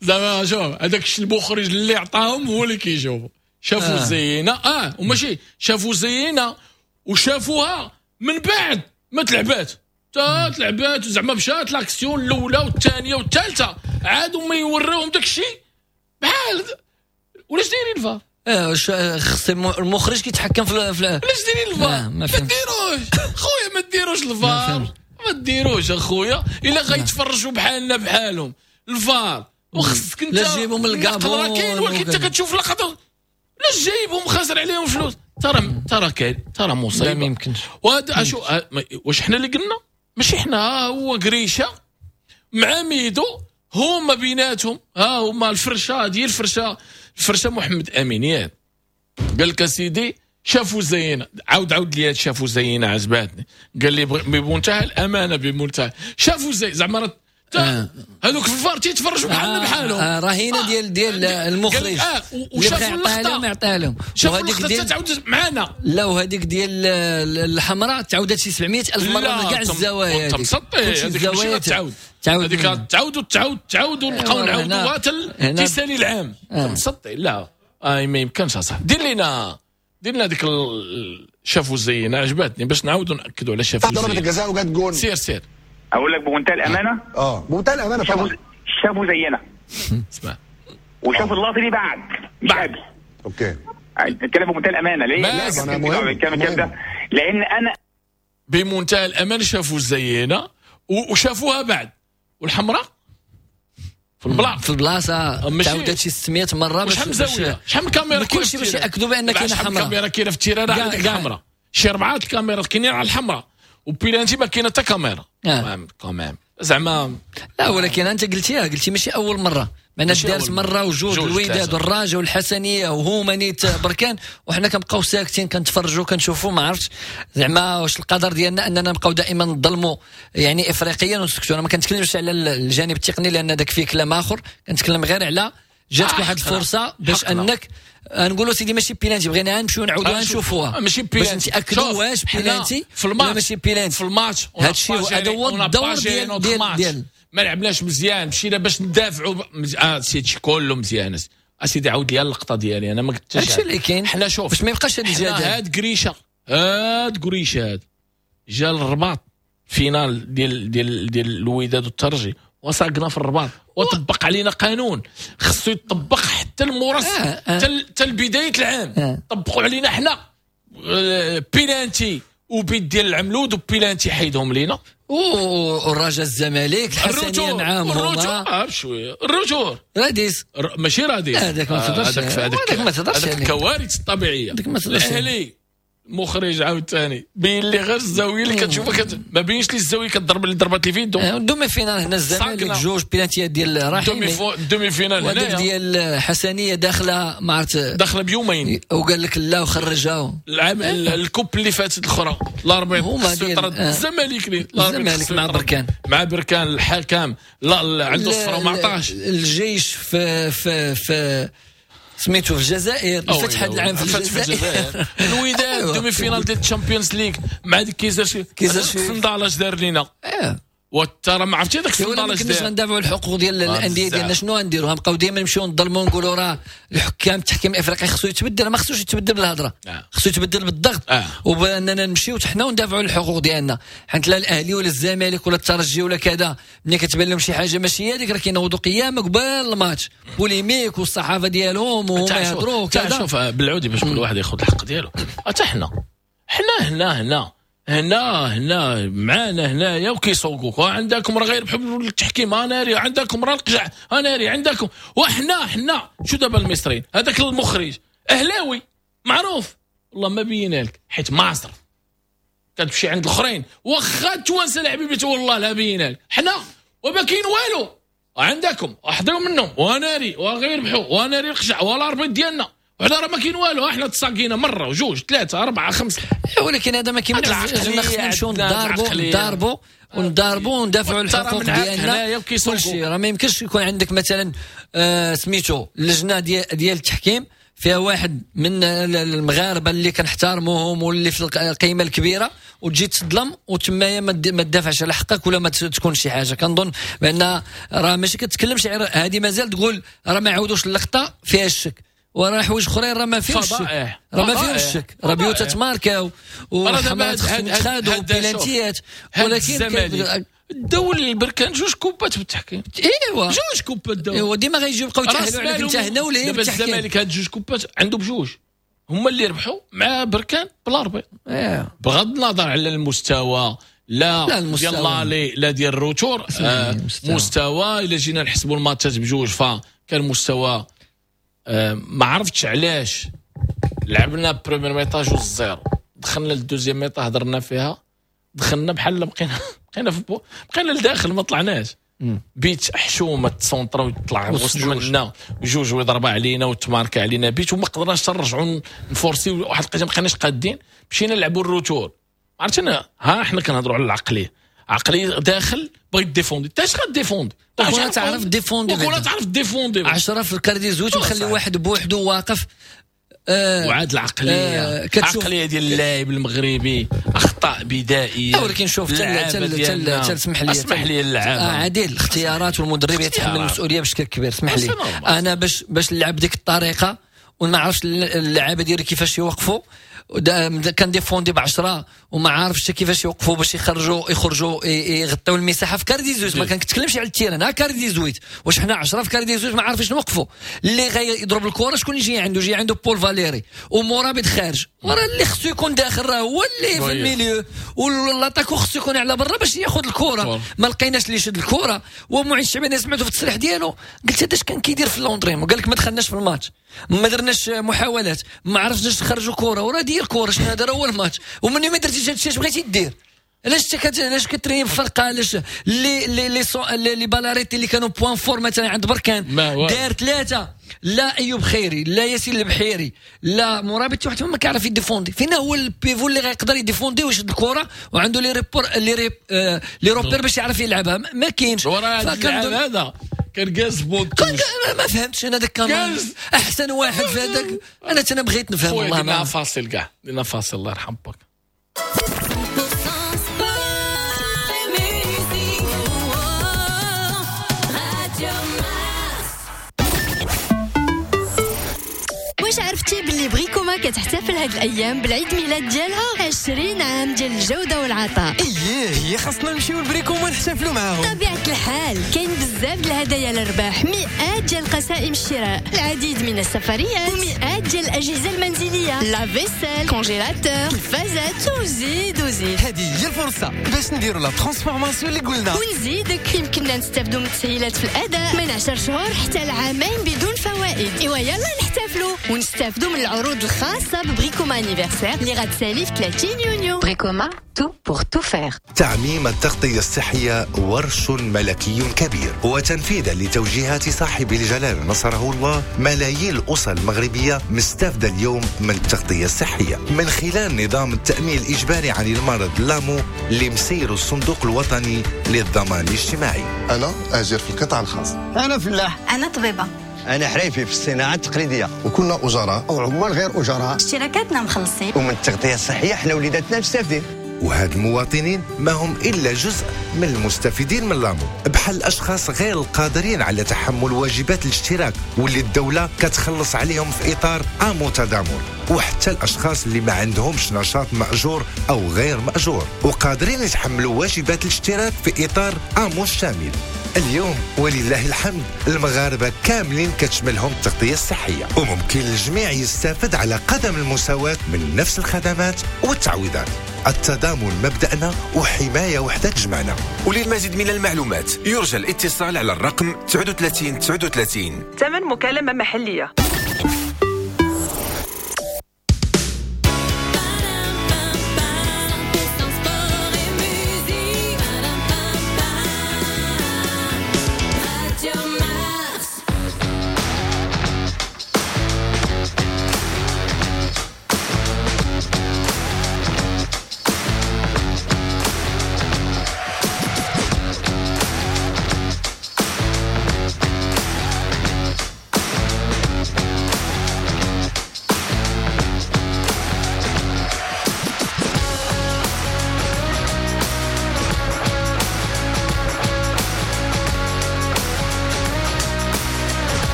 Speaker 1: زعما شوف هذاك المخرج اللي عطاهم هو اللي كيجاوبوا. شافوا زينا، وماشي شافوا زينا وشافوها من بعد ما تلعبات، تلعبات زعما مشات l'action الاولى والثانية والثالثة، عادوا ما يوريهم داك الشيء بحال ولاش دايرين الفار؟
Speaker 2: خص المخرج كيتحكم في
Speaker 1: علاش دايرين الفار؟ ما ديروش خويا، ما ديروش الفار، ما ديروش اخويا الا غيتفرجوا بحالنا بحالهم الفار. وخصك انت
Speaker 2: لا تجيبهم من الكابون،
Speaker 1: كاين ولكن انت كتشوف لقطة لاش جايبهم خاسر عليهم فلوس. ترى كاين، ترى مصيبة،
Speaker 2: ما يمكنش.
Speaker 1: وهذا اشو واش حنا اللي قلنا؟ ماشي حنا، هو قريشه مع ميدو، هما بيناتهم، ها هما الفرشة ديال الفرشة محمد امين، ياك قال لك اسيدي شافوا زينة. عاود لي شافوا زينة عجباتني. قال لي بمنتهى الامانة، بمنتهى شافوا زي زعما هذوك في الفار تيتفرجوا بحالنا بحالهم.
Speaker 2: رهينة ديال المخرج
Speaker 1: وشافوا اللقطة
Speaker 2: يعطيها لهم،
Speaker 1: وهذيك ديال تعاود معنا.
Speaker 2: لا، وهذيك ديال الحمراء تعاودت شي 700,000 مرة من كاع الزوايا.
Speaker 1: هذيك الزوايا تعاود هذيك تعاود تعاود تعاود ونبقاو نعاودوها حتى تيسالي العام. مسطي. لا ما يمكنش اصاحبي. دير لنا ديك شافوا زينة عجباتني باش نعاودوا ناكدوا على شافوا زينة.
Speaker 5: ضربه الجزاء وجات جون.
Speaker 1: سير
Speaker 4: اقول لك بمنتهى الامانة،
Speaker 5: بمنتهى الامانة طبعا
Speaker 4: شافوا زينا.
Speaker 1: اسمع،
Speaker 4: وشافوا اللقطة دي بعد مش قبل.
Speaker 5: okay،
Speaker 4: الكلام بمنتهى الامانة. ليه؟
Speaker 1: لا
Speaker 5: انا مهم
Speaker 4: الكلام ده، لان انا
Speaker 1: بمنتهى الامانة شافوا زينا وشافوها بعد. والحمراء في البلاصة
Speaker 2: تعاودت شي 600 مرة.
Speaker 1: باش شحال زاوية، شحال من كاميرا،
Speaker 2: كلشي باش ياكدوا بان كاينه حمراء.
Speaker 1: كاميرا كاينه في ال terrain عندك حمراء، شي 4 الكاميرات كاينين على الحمراء، وبيلانتي ما كاينه حتى كاميرا. quand même زعما.
Speaker 2: لا ولكن انت قلتي ماشي اول مرة، معنا دارت مرة وجوج الوداد والرجاء والحسنيه وهما نيت بركان، وحنا كنبقاو ساكتين كنتفرجوا كنشوفوا. ما عرفتش زعما واش القدر ديالنا اننا نبقاو دائما نظلموا يعني افريقيا ونسكتوا. انا ما كنتكلمش على الجانب التقني لان داك فيه كلام اخر، كنتكلم غير على جاتك واحد الفرصة باش انك نقولوا سيدي ماشي بيلانتي، بغينا نمشيو نعاودوها نشوفوها
Speaker 1: ماشي بيلانتي
Speaker 2: باش نتاكدوا واش بيلانتي ولا ماشي بيلانتي
Speaker 1: في الماتش.
Speaker 2: هادشي هذا هو الدور ديال
Speaker 1: ما لعبناش مزيان، مشينا باش ندافعوا. سيدي كله مزيان اسيدي، عاود لي اللقطة ديالي انا ما قلتش
Speaker 2: هادشي اللي كاين.
Speaker 1: حنا شوف
Speaker 2: باش ما يبقاش هاد الجدل.
Speaker 1: هاد قريشه، هاد جا للرباط finale ديال ديال ديال الوداد والترجي، وساقنا في الرباط وطبق علينا قانون خصو يطبق حتى المورس حتى لبداية العام. طبقوا علينا حنا بيلانتي وبيت ديال العملود وبيلانتي حيدهم لينا.
Speaker 2: والرجاء الزمالك الحسنيه معاهم
Speaker 1: هما بشوية ال retour
Speaker 2: راديس
Speaker 1: ماشي راديس
Speaker 2: هذاك ما تهضرش،
Speaker 1: هذاك ما تهضرش، هذاك الكوارث الطبيعية.
Speaker 2: هذاك ما تهضرش.
Speaker 1: الاهلي المخرج عاوتاني بين لي غير الزاوية اللي كتشوفها ما بينش لي الزاوية كضرب اللي ضربات لي في يدو.
Speaker 2: demi-finale هنا الزمالك جوج بينالتيات ديال رحيمي،
Speaker 1: demi-finale هنا
Speaker 2: ديال حسنيه داخله ما عرفت
Speaker 1: داخله بيومين
Speaker 2: وقال لك لا وخرجها.
Speaker 1: العام ال coupe اللي فاتت الاخرى l'arbitre الزمالك
Speaker 2: الزمالك مع بركان،
Speaker 1: مع بركان الحكم لا عنده صفر وما عطاش.
Speaker 2: الجيش في في في سميتو في الجزائر، الفتح هذا العام في الجزائر،
Speaker 1: الوداد demi-finale ديال ال Champions League مع ديك كيزر الصندال اش دار لينا. وترى ما عرفتي هذاك الصندال اش دار.
Speaker 2: كناش غندافعوا الحقوق ديال الاندية ديالنا، شنو غنديروا؟ غنبقاو ديما نمشيو نظلموا ونقولوا راه الحكام التحكيم الافريقي خصو يتبدل. ما خصوش يتبدل بالهضره، خصو يتبدل بالضغط وباننا نمشيو حنا وندافعوا الحقوق ديالنا. حيت لا الاهلي ولا الزمالك ولا الترجي ولا كذا ملي كتبان لهم شي حاجة ماشي هي هذيك راه كينوضوا قيامه قبل الماتش polémique والصحافة ديالهم وهما يهضروا كذا.
Speaker 1: شوف بالعودي باش كل واحد ياخذ الحق ديالو. حتى حنا هنا هنا هنا هنا معانا هنايا وكيسوقوك، عندكم راه غير بحب التحكيم، ناري عندكم راه القجع، ناري عندكم. وحنا حنا شو دابا المصريين هذاك المخرج اهلاوي معروف والله ما بينا لك حيت معصر كتمشي عند الاخرين واخا التوانسة الحبيبي والله لا بينا لك. حنا وما كاين والو عندكم احضروا منهم وناري وغير ربحوا وناري القجع ولا l'arbitre ديالنا، وحنا راه ما كاين والو. احنا تساقينا مرة وجوج ثلاثة اربعة خمسة،
Speaker 2: ولكن هذا ما كيمنعش خصنا نمشيو نضاربوا ونضاربوا وندافعوا على الحقوق ديالنا كلشي. راه ما يمكنش يكون عندك مثلا سميتو اللجنة ديال التحكيم فيها واحد من المغاربة اللي كنحترموهم واللي في القيمة الكبيرة، وتجي تظلم وتمايا ما تدافعش على حقك ولا ما تكون شي حاجة. كنظن بان راه ماشي كتكلمش هذه، مازال تقول راه ما عاودوش اللقطة فيها الشك، وراه حوايج اخرين راه ما فيهمش الشك، راه ما فيهمش الشك، راه بيوت تماركاو وحملات خصهم يتخادوا وبيلانتيات.
Speaker 1: ولكن الدولي البركان جوج كوبات بالتحكيم.
Speaker 2: ايوا
Speaker 1: جوج كوبات داو.
Speaker 2: ايوا ديما غيجيو يبقاو يتحلوا عليك انت هنا ولا هي بالتحكيم.
Speaker 1: الزمالك هاد جوج كوبات عنده بجوج هما اللي ربحوا مع بركان ب l'arbitre. بغض النظر على المستوى، لا ديال l'aller لا ديال ال retour، مستوى الا جينا نحسبوا الماتشات بجوج فكان مستوى. ما عرفتش علاش لعبنا première mi-temps 2-0، دخلنا لل deuxième mi-temps هضرنا فيها، دخلنا بحال بقينا لداخل ما طلعناش. بيت حشومه تسونطرا ويطلع وسط منا جوج ويضرب علينا وتماركا علينا بيت، وما قدرناش نرجعوا نفورسيو واحد القضية ما بقيناش قادين. مشينا نلعبوا ال retour، عرفت انا ها حنا كنهضروا على العقلية، عقلية داخل بغيت défendre، انت اش غ défendre؟
Speaker 2: ولا تعرف défendre،
Speaker 1: ولا تعرف défendre
Speaker 2: 10 في ال quart dix-huit وخلي واحد بوحدو واقف.
Speaker 1: وعاد العقلية العقلية ديال اللاعب المغربي اخطاء بدائية.
Speaker 2: ولكن شوف تل اسمح لي
Speaker 1: اسمح لي اللعابه
Speaker 2: عادل الاختيارات والمدرب يتحمل المسؤولية بشكل كبير. اسمح لي انا باش نلعب ديك الطريقة وما عرفتش اللعابه ديالي كيفاش يوقفوا، كان défendre ب10 وما عارفش كيفاش يوقفوا باش يخرجوا يغطيو المساحة في quart dix-huit. ما كنتكلمش على ال terrain، ها quart dix-huit واش حنا 10 في quart dix-huit ما عارفينش نوقفوا. اللي غيضرب الكره شكون يجي عنده؟ جي عنده بول فاليري ومرابط خارج، وراه اللي خصو يكون داخل راه هو اللي في ال milieu، و l'attaquant خصو يكون على برا باش ياخذ الكره. ما لقيناش اللي يشد الكره. ومعين الشعباني سمعته في التصريح ديالو قلت هذا اش كان كيدير في l'entraînement؟ قال لك ما دخلناش في الماتش، ما درناش محاولات، ما عرفناش نخرجوا كره، وراه دير كره شنو هذا هو الماتش. ومني ما درتيش هادشي اش بغيتي دير؟ علاش كتريني بفرقة؟ علاش les les les les balles arrêtées اللي كانوا points forts مثلا عند بركان دار ثلاثة، لا ايوب خيري لا ياسين البحيري لا مرابط واحد ما كيعرف يديفوندي. فينا هو ال pivot اللي غيقدر يديفوندي ويشد الكره وعنده les repères les repères باش يعرف يلعبها؟ ما كاينش.
Speaker 1: هذا كان جالس بونتوش،
Speaker 2: ما فهمتش انا داك كان احسن واحد في هذاك. انا بغيت نفهم والله.
Speaker 1: ما فاصل كاع لنا فاصل الله يرحم باك.
Speaker 3: واش عرفتي باللي بريكوما كتحتفل هاد الايام بالعيد ميلاد ديالها 20 عام ديال الجودة والعطاء؟
Speaker 6: اييه هي خاصنا نمشيو لبريكوما نحتفلوا معاهم.
Speaker 3: طبيعة الحال كاين بزاف د الهدايا للرباح، مئات ديال قسائم الشراء، العديد من السفريات، ومئات ديال الاجهزة المنزلية، lave-vaisselle، congélateur، تلفازات، وزيد وزيد.
Speaker 6: هذه هي الفرصة باش نديروا la transformation اللي قلنا.
Speaker 3: ونزيدك يمكننا نستافدوا من التسهيلات في الاداء من 10 شهور حتى العامين بدون فوائد. ايوا يلا نحتفلوا
Speaker 7: ونستافدوا من العروض الخاصة ب Bricoma anniversaire اللي غتسالي في 30 يونيو.
Speaker 8: Bricoma, tout pour tout faire.
Speaker 9: تعميم التغطية الصحية ورش ملكي كبير، وتنفيذا لتوجيهات صاحب الجلالة نصره الله، ملايين الأسر المغربية مستفدة اليوم من التغطية الصحية من خلال نظام التأمين الإجباري عن المرض l'AMO اللي مسير الصندوق الوطني للضمان الاجتماعي.
Speaker 10: أنا أجير في القطاع الخاص،
Speaker 11: أنا فلاح،
Speaker 3: أنا طبيبة،
Speaker 11: أنا حريفي في الصناعة التقليدية،
Speaker 10: وكنا أجراء
Speaker 11: أو عمال غير أجراء،
Speaker 3: اشتراكاتنا مخلصين،
Speaker 11: ومن التغطية الصحية حنا وليداتنا مستافدين.
Speaker 9: وهاد المواطنين ما هم إلا جزء من المستفيدين من l'AMO، بحال الأشخاص غير القادرين على تحمل واجبات الاشتراك واللي الدولة كتخلص عليهم في إطار AMO تضامن، وحتى الأشخاص اللي ما عندهمش نشاط مأجور أو غير مأجور وقادرين يتحملوا واجبات الاشتراك في إطار AMO الشامل. اليوم ولله الحمد المغاربة كاملين كتشملهم التغطية الصحية، وممكن الجميع يستفد على قدم المساواة من نفس الخدمات والتعويضات. التضامن مبدأنا وحماية وحدة تجمعنا.
Speaker 12: وللمزيد من المعلومات يرجى الاتصال على الرقم 39 39.
Speaker 13: ثمن مكالمة محلية.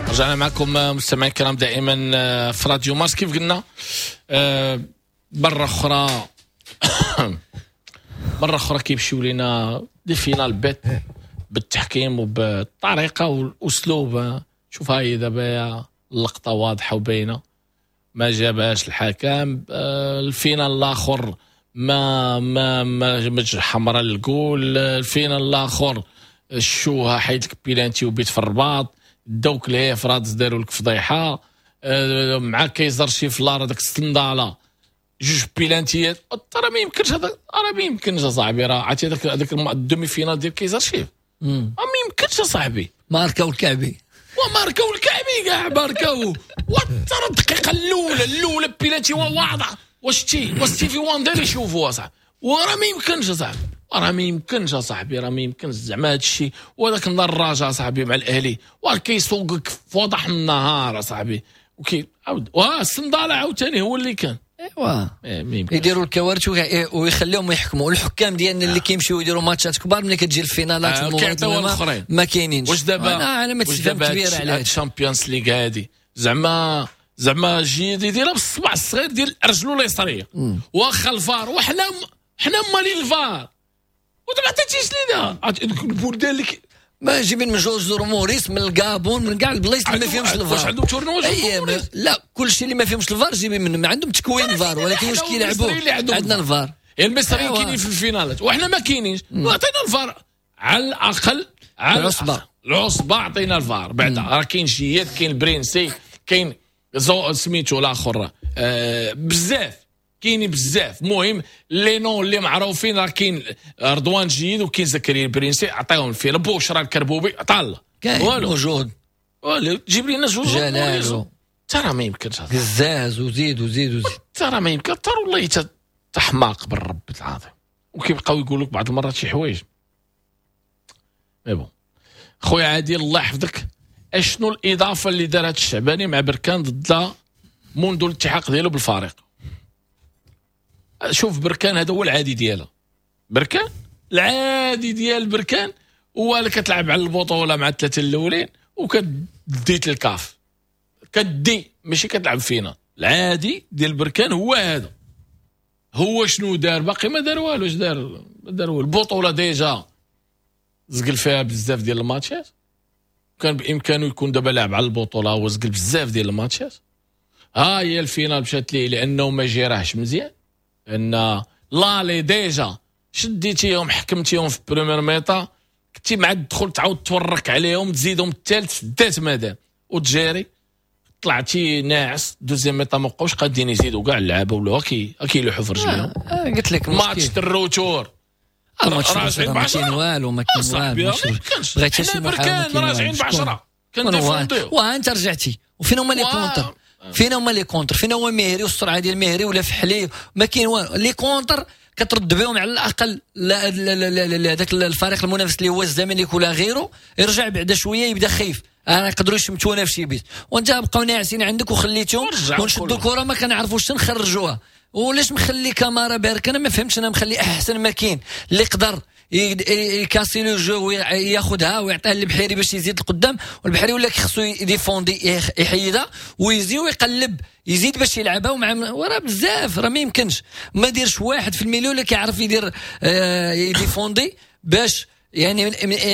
Speaker 1: رجعنا معكم مستمعي الكرام دائما في راديو مارس. كيف قلنا مرة أخرى مرة أخرى كيمشيو لينا des finales bêtes بالتحكيم وبالطريقة والأسلوب. شوف هاي دابا اللقطة واضحة وباينة، ما جابهاش الحكم. ال finale الآخر ما ما ما حمراء الجول. ال finale الآخر الشوهة حيد لك بيلانتي وبيت في الرباط، دوك ليه فرادس داروا لك فضيحة مع كيزر شي فلار هذاك الصنداله جوج بيلانتيات. ترى ما يمكنش هذا، راه ما يمكنش اصاحبي. راه عرفتي هذاك ال demi-finale ديال كيزر شيف ما يمكنش اصاحبي.
Speaker 2: ماركاو الكعبي
Speaker 1: وماركاو الكعبي كاع ماركاو. وترى الدقيقة الاولى بيلانتي واضح. واش تي واش ستيفي واندر يشوفوا اصاحبي. وراه ما يمكنش اصاحبي، راه ما يمكنش اصاحبي، راه ما يمكنش زعما هذا الشيء. وهذاك النهار الرجاء صاحبي مع الاهلي وراه كيسوقك في وضح النهار اصاحبي، وكي عاود واه الصنداله عاوتاني هو اللي كان.
Speaker 2: ايوا يديروا الكوارث ويخليهم يحكموا. الحكام ديالنا اللي كيمشيو يديروا ماتشات كبار ملي كتجي الفينالات والمباريات ما كاينينش.
Speaker 1: واش دابا
Speaker 2: انا ما تفهم كبيرة على
Speaker 1: ال Champions League هادي زعما جيد يديرها بالصبع الصغير ديال رجلو اليسريه واخا الفار، وحنا حنا مالين الفار وما عطيتيش لينا البلدان اللي
Speaker 2: ما جايبين من جوج موريس من الكابون من كاع البلايص اللي ما فيهمش الفار.
Speaker 1: واش عندهم tournoi؟
Speaker 2: لا كلشي اللي ما فيهمش الفار جايبين منهم، عندهم تكوين فار، ولكن واش كيلعبوا عندنا الفار.
Speaker 1: المصريين كاينين في الفينالات وحنا ما كاينينش. عطينا الفار على الاقل، على العصبة العصبة عطينا الفار بعدا. راه كاين جياد، كاين البرينسي، كاين سميتو الاخر، بزاف كاينين بزاف. المهم les noms اللي معروفين راه كاين رضوان جيد وكاين زكريا البرينسي، عطيهم ال finale. بوشرا الكربوبي عطا الله
Speaker 2: كاين موجود،
Speaker 1: والو جيب لينا جوج
Speaker 2: جلالو
Speaker 1: ترى ما يمكنش،
Speaker 2: قزاز وزيد وزيد وزيد،
Speaker 1: ترى ما يمكن. ترى والله تحماق بالرب العظيم. وكيبقاو يقولوا لك بعض المرات شي حوايج. mais bon خويا عادل الله يحفظك، اشنو الاضافة اللي دارت الشعباني مع بركان ضد منذ الالتحاق ديالو بالفريق؟ شوف بركان هذا هو العادي ديالها. بركان العادي ديال بركان هو اللي كتلعب على البطولة مع الثلاثة الاولين وكديت الكاف كدي، ماشي كتلعب فينا. العادي ديال بركان هو هذا. هو شنو دار؟ باقي ما دار والو. اش دار؟ ما دار والو. البطولة déjà زقل فيها بزاف ديال الماتشات، كان بامكانه يكون دابا لاعب على البطولة، هو زقل بزاف ديال الماتشات. ها هي ال finale مشات ليه لانه ما جيراهش مزيان، ان l'aller déjà شديتيهم حكمتيهم في première mi-temps، كنتي مع الدخول تعاود تورك عليهم تزيدهم الثالث دات مادام. وتجاري طلعتي ناعس deuxième mi-temps ما بقاوش قادين يزيدوا كاع اللعابه ولاو كيلوحوا في رجليهم.
Speaker 2: قلت لك
Speaker 1: ماتش ال retour
Speaker 2: الماتش ما كاين والو، ما كاين والو،
Speaker 1: بغيتي شي بركان راجعين ب10 كنديفونديو
Speaker 2: وانت رجعتي. وفين هما les contres؟ فين هما les contres؟ فين هو مهري والسرعة ديال مهري ولا فحلي؟ ما كاين والو. les contres كترد بهم على الاقل هذاك الفريق المنافس اللي هو الزمالك ولا غيره يرجع بعد شوية يبدا خايف، انا يقدروا يشمتونا في شي بيت، وانت بقاو ناعسين عندك وخليتهم ونشدوا الكره ما كنعرفوش نخرجوها. ولاش مخلي كامارا بارك؟ انا ما فهمتش. انا مخلي احسن ما كاين اللي يقدر يكاسي le jeu وياخذها ويعطيها للبحيري باش يزيد القدام، والبحيري ولا خصو يديفوندي يحيدها ويزيد ويقلب يزيد باش يلعبها ومع وراه بزاف. راه ما يمكنش ما ديرش واحد في ال milieu اللي كيعرف يدير يديفوندي باش يعني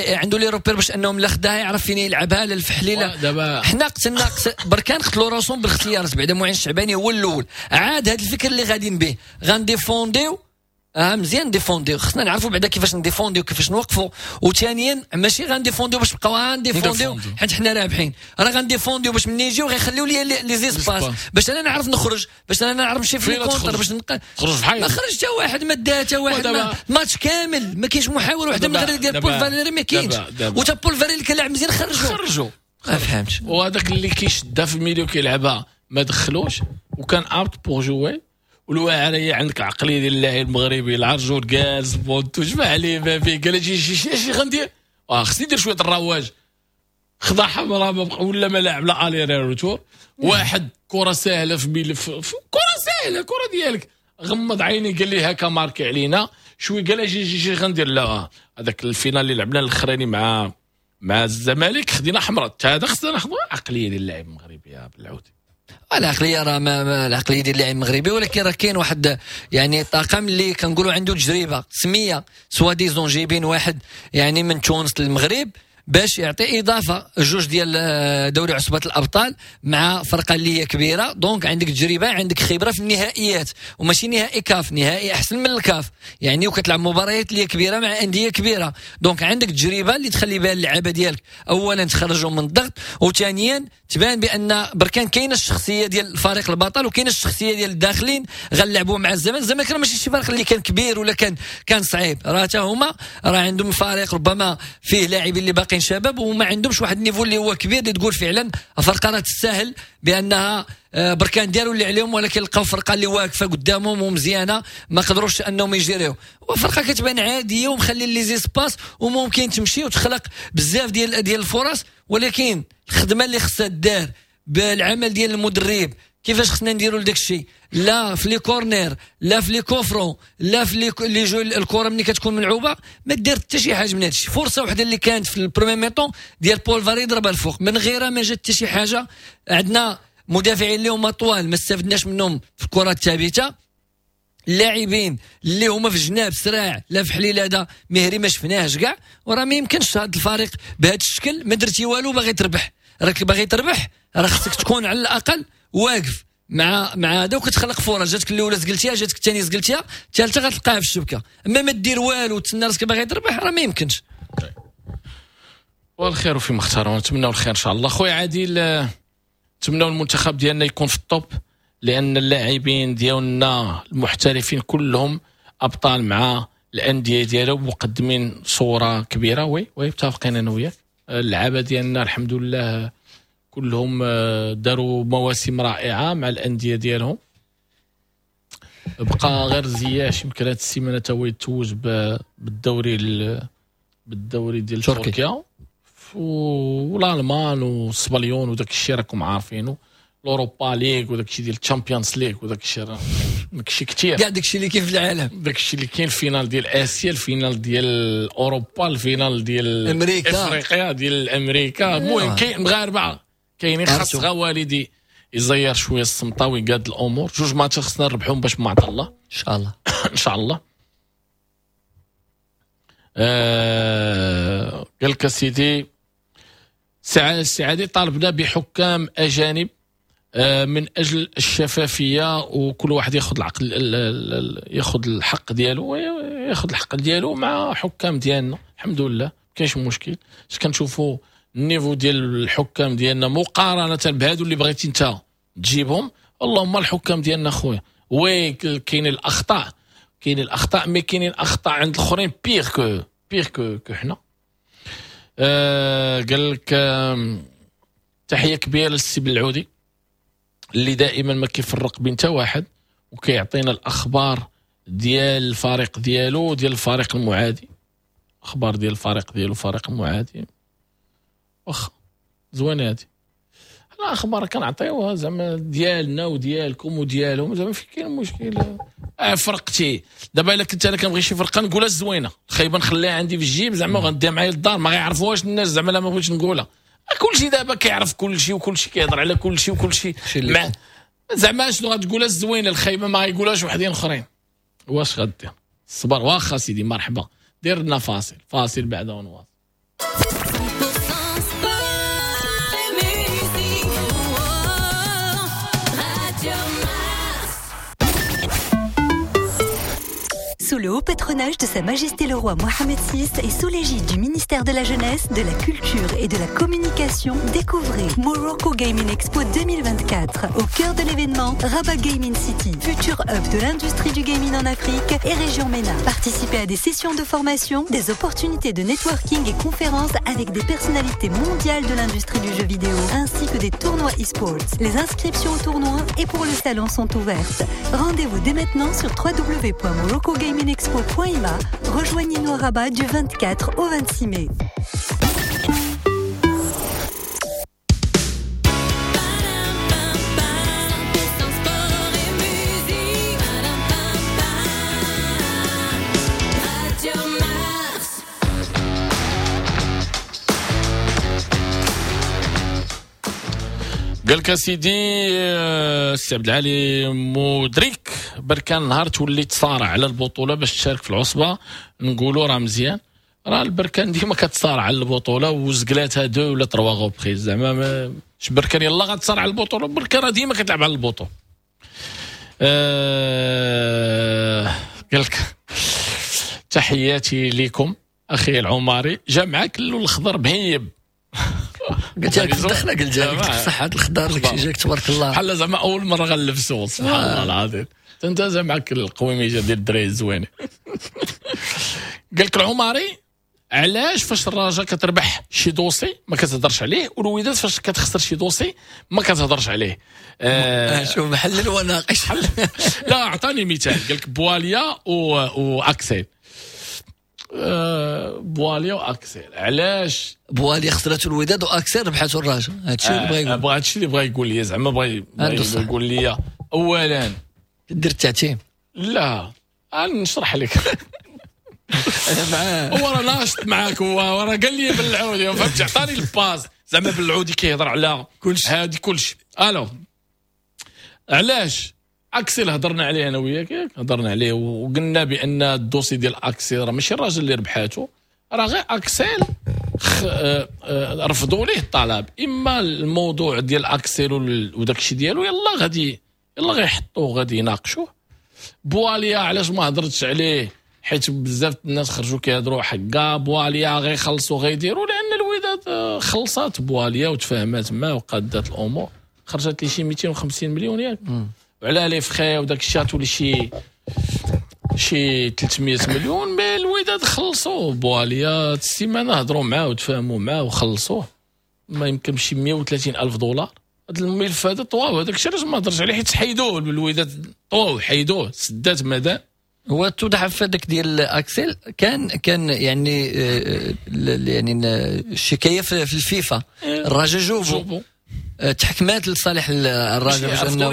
Speaker 2: عنده les repères باش انهم لا خداها يعرف فين يلعبها للفحليله. حنا قتلنا بركان قتلوا راسهم بالاختيارات بعدا. معين الشعباني هو الاول عاد هذا الفكر اللي غاديين به غنديفونديو. مزيان ديفونديو، خصنا نعرفوا بعدا كيفاش نديفونديو كيفاش نوقفوا. وثانيا ماشي غنديفونديو باش نبقاو غنديفونديو حيت حنا رابحين، راه غنديفونديو باش ملي يجيو غيخليو لي les espaces باش انا نعرف نخرج، باش انا نعرف نمشي في ال contre، باش نخرج
Speaker 1: في
Speaker 2: ما خرج حتى واحد، ما دا حتى واحد، ماتش كامل ما كاينش محاولة واحدة من غير ديال بول فاليري ما كاينش. وتا بول فاليري اللي كان لاعب مزيان خرجوا ما فهمتش.
Speaker 1: وهذاك اللي كيشدها في ال milieu كيلعبها ما دخلوش وكان apte pour jouer. والواعره هي عندك العقلية ديال اللاعب المغربي العرجون جالس بونتو جمع عليه ما فيه قال شي شي شي غندير خصني ندير شوية الرواج، خدا حمراء ولا ما لاعب لا aller retour. واحد كره ساهله في ملف كره ساهله كره ديالك غمض عيني قال لي هكا ماركي علينا شوي قال اجي جي غندير. لا هذاك ال finale اللي لعبنا الاخراني مع الزمالك خدينا حمراء، هذا خصنا ناخذ عقلية ديال اللاعب المغربي يا بالعودي.
Speaker 2: العقلية راه ما العقلية ديال اللاعب المغربي، ولكن راه كاين واحد يعني طاقم اللي كنقولوا عنده تجربه سميه soi-disant جايبين واحد يعني من تونس للمغرب باش يعطي اضافه جوج ديال دوري عصبه الابطال مع فرقه اللي هي كبيرة. donc عندك تجربه، عندك خبره في النهائيات، وماشي نهائي كاف، نهائي احسن من الكاف يعني، وكتلعب مباريات اللي كبيرة مع اندية كبيرة. donc عندك تجربه اللي تخلي بها اللعابه ديالك اولا تخرجهم من الضغط، وثانيا تبان بان بركان كاينه الشخصية ديال الفريق البطل وكاينه الشخصية ديال الداخلين غنلعبوا مع الزمن. الزمالك راه ماشي شي فريق اللي كان كبير ولا كان صعيب، راه حتى هما راه عندهم فريق ربما فيه لاعبين اللي باقيين شباب وما عندهمش واحد ال niveau اللي هو كبير اللي تقول فعلا فرقه راه تستاهل بانها بركان داروا اللي عليهم، ولكن لقاو فرقه اللي واقفة قدامهم ومزيانه ما قدروش انهم يجريو. وفرقه كتبان عادية ومخلي les espaces وممكن تمشي وتخلق بزاف ديال الفرص، ولكن الخدمة اللي خصها دار بالعمل ديال المدرب كيفاش خصنا نديروا لداك الشيء، لا في les corners، لا في les coups francs، لا في les jeux الكره ملي كتكون ملعوبه ما دير حتى شي حاجة من هادشي. فرصة وحده اللي كانت في ال première mi-temps ديال بول فاري ضربها الفوق، من غيرها ما جات حتى شي حاجة. عندنا مدافعين اللي هما طوال ما استفدناش منهم في الكره الثابتة، اللاعبين اللي هما في الجناب سراع لا في حليل هذا مهري ما شفناهش كاع. وراه ما يمكنش هذا الفريق بهذا الشكل ما درتي والو باغي تربح، راك باغي تربح راه خصك تكون على الاقل واقف مع هذا وكتخلق فرص. جاتك الاولى زقلتيها، جاتك الثانية زقلتيها، الثالثة غتلقاها في الشبكة. اما ما دير والو وتسنى راسك باغي تربح راه ما يمكنش.
Speaker 1: والخير فيما اختار، ونتمناو الخير ان شاء الله. خويا عادل، نتمناو المنتخب ديالنا يكون في ال top، لان اللاعبين ديالنا المحترفين كلهم ابطال مع الاندية ديالهم مقدمين صوره كبيرة. oui متفقين انا وياك. اللعابه ديالنا الحمد لله كلهم داروا مواسم رائعة مع الاندية ديالهم. بقى غير زياش يمكن هذه السيمانة تا هو يتوج بالدوري ديال تركيا والالمان والسبليون وداك الشيء راكم عارفينه، l'Europa League وداك الشيء ديال ال Champions League وداك الشيء داك الشيء كثير
Speaker 2: كاع داك الشيء اللي كاين في العالم،
Speaker 1: داك الشيء اللي كاين ال finale ديال اسيا، ال finale ديال اوروبا، ال finale ديال
Speaker 2: امريكا،
Speaker 1: افريقيا، ديال امريكا. المهم كاين مغاربة كاينين، خاص غا والدي يزير شوية السمطه ويقاد الامور. جوج ماتشات خصنا نربحهم باش ما عطا الله
Speaker 2: ان شاء الله.
Speaker 1: ان شاء الله. قال لك سيدي السعادي طالبنا بحكام اجانب من اجل الشفافية وكل واحد ياخذ العقل ياخذ الحق ديالو، ياخذ الحق ديالو مع حكام ديالنا. الحمد لله ما كاينش مشكل. اش كنشوفوا ال niveau ديال الحكام ديالنا مقارنة بهادو اللي بغيتي انت تجيبهم. اللهم الحكام ديالنا خويا oui كاين الاخطاء، كاين الاخطاء، mais كاينين اخطاء عند الاخرين pire que pire que حنا. قال لك تحية كبيرة للسي بالعودي اللي دائما ما كيفرق بين حتى واحد وكيعطينا الاخبار ديال الفريق ديالو ديال الفريق المعادي، اخبار ديال الفريق ديالو فريق المعادي. واخا زوينة هادي، حنا اخبار كنعطيوها زعما ديالنا وديالكم وديالهم، زعما فين كاين المشكل؟ فرقتي دابا الا كنت انا كنبغي شي فرقه نقولها الزوينة، الخايبة نخليها عندي في الجيب زعما وغنديها معايا للدار، ما غيعرفوهاش الناس زعما لا ما بغيتش نقولها. كلشي دابا كيعرف كلشي وكلشي كيهضر على كلشي وكلشي مع زعما شنو غتقولها الزوينة، الخايبة ما غيقولهاش وحدين اخرين. واش غدير؟ الصبر. واخا سيدي مرحبا، دير لنا فاصل، فاصل بعد ونواصل.
Speaker 14: Sous le haut patronage de Sa Majesté le Roi Mohammed VI et sous l'égide du ministère de la Jeunesse, de la Culture et de la Communication, découvrez Morocco Gaming Expo 2024. Au cœur de l'événement, Rabat Gaming City, futur hub de l'industrie du gaming en Afrique et région MENA. Participez à des sessions de formation, des opportunités de networking et conférences avec des personnalités mondiales de l'industrie du jeu vidéo, ainsi que des tournois e-sports. Les inscriptions au tournoi et pour le salon sont ouvertes. Rendez-vous dès maintenant sur www.moroccogaming expo.ima. Rejoignez-nous à Rabat du 24 au 26 mai.
Speaker 1: قال لك سيدي السي عبد العالي مدرك بركان نهار تولي تصارع على البطولة باش تشارك في العصبة، نقولوا راه مزيان، راه البركان ديما كتصارع على البطولة وزقلاتها deux ولا trois reprises زعما مش بركان يلا غتصارع على البطولة، بركان راه ديما كتلعب على البطولة. قال لك تحياتي لكم اخي العماري، جا معاك اللون الخضر مهيب.
Speaker 2: قلت لك الدخلة، قلت لك صحة الخضار داكشي جاك تبارك الله،
Speaker 1: بحال زعما اول مرة غنلبسو سبحان الله العظيم. انت زعما معاك القويميجه ديال الدراري الزوينة. قال لك العماري علاش فاش الرجاء كتربح شي dossier ما كتهضرش عليه، والوداد فاش كتخسر شي dossier ما كتهضرش عليه.
Speaker 2: شوف محلل وناقش.
Speaker 1: لا اعطاني مثال، قال لك بواليا واكسيل. بواليا واكسيل، علاش
Speaker 2: بواليا خسرته الوداد واكسيل ربحته الرجاء؟ هادشي اللي بغا يقول،
Speaker 1: هادشي اللي بغا يقول لي زعما، بغا يقول لي اولا
Speaker 2: دير التعتيم.
Speaker 1: لا انا نشرح لك. انا معاه، هو راه ناشط معاك، هو راه قال لي بالعودي فهمت، عطاني ال base زعما بالعودي كيهضر على كلشي هادي كلشي. الو علاش اكسيل هضرنا عليه انا وياك، هضرنا عليه وقلنا بان ال dossier ديال اكسيل راه ماشي الراجل اللي ربحاتو، راه غير اكسيل رفضوا ليه الطلب. اما الموضوع ديال اكسيل وداك الشيء ديالو يلا غادي يلا غيحطوه غادي يناقشوه. بواليا علاش ما هضرتش عليه؟ حيت بزاف الناس خرجوا كيهضروا حكا بواليا غيخلصوا غيديروا، لان الوداد خلصات بواليا وتفاهمات معاه وقادات الامور، خرجت لي شي 250 مليون ياك، وعلى les frais وداك الشيء تولي شي 300 مليون. mais الوداد خلصوا بواليا السيمانة، هضروا معاه وتفاهموا معاه وخلصوه، ما يمكن شي 130 الف دولار. هذا الملف هذا طواو، هذاك الشيء علاش ما هضرش عليه، حيت حيدوه الوداد طواو حيدوه سدات مدى.
Speaker 2: هو توضح في هذاك ديال اكسل كان يعني يعني الشكاية في الفيفا، الرجاء جوبو تحكمات لصالح الرجاء باش انه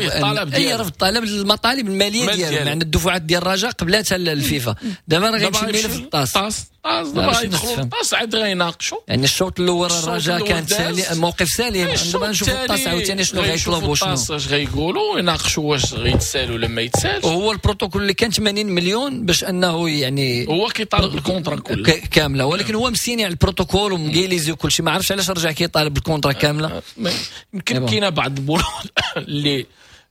Speaker 2: اي رفض طلب المطالب المالية ديالو، يعني الدفعات ديال الرجاء قبلاتها الفيفا. دابا راه غيمشي الملف للطاس،
Speaker 1: طاس دابا غيدخلوا الطاس عاد غيناقشوا.
Speaker 2: يعني الشوط الاول الرجاء كانت موقف سليم، دابا نشوفوا الطاس عاوتاني شنو غيطلبوا، شنو
Speaker 1: الطاس اش غيقولوا، يناقشوا واش غيتسالوا ولا ما يتسالش.
Speaker 2: وهو البروتوكول اللي كان 80 مليون باش انه يعني
Speaker 1: هو كيطالب ال contrat كلها
Speaker 2: كاملة، ولكن هو مسيني على البروتوكول ومقيليزي وكل شيء، ما عرفش علاش رجع كيطالب ال contrat كاملة.
Speaker 1: يمكن كاينه بعض البنود اللي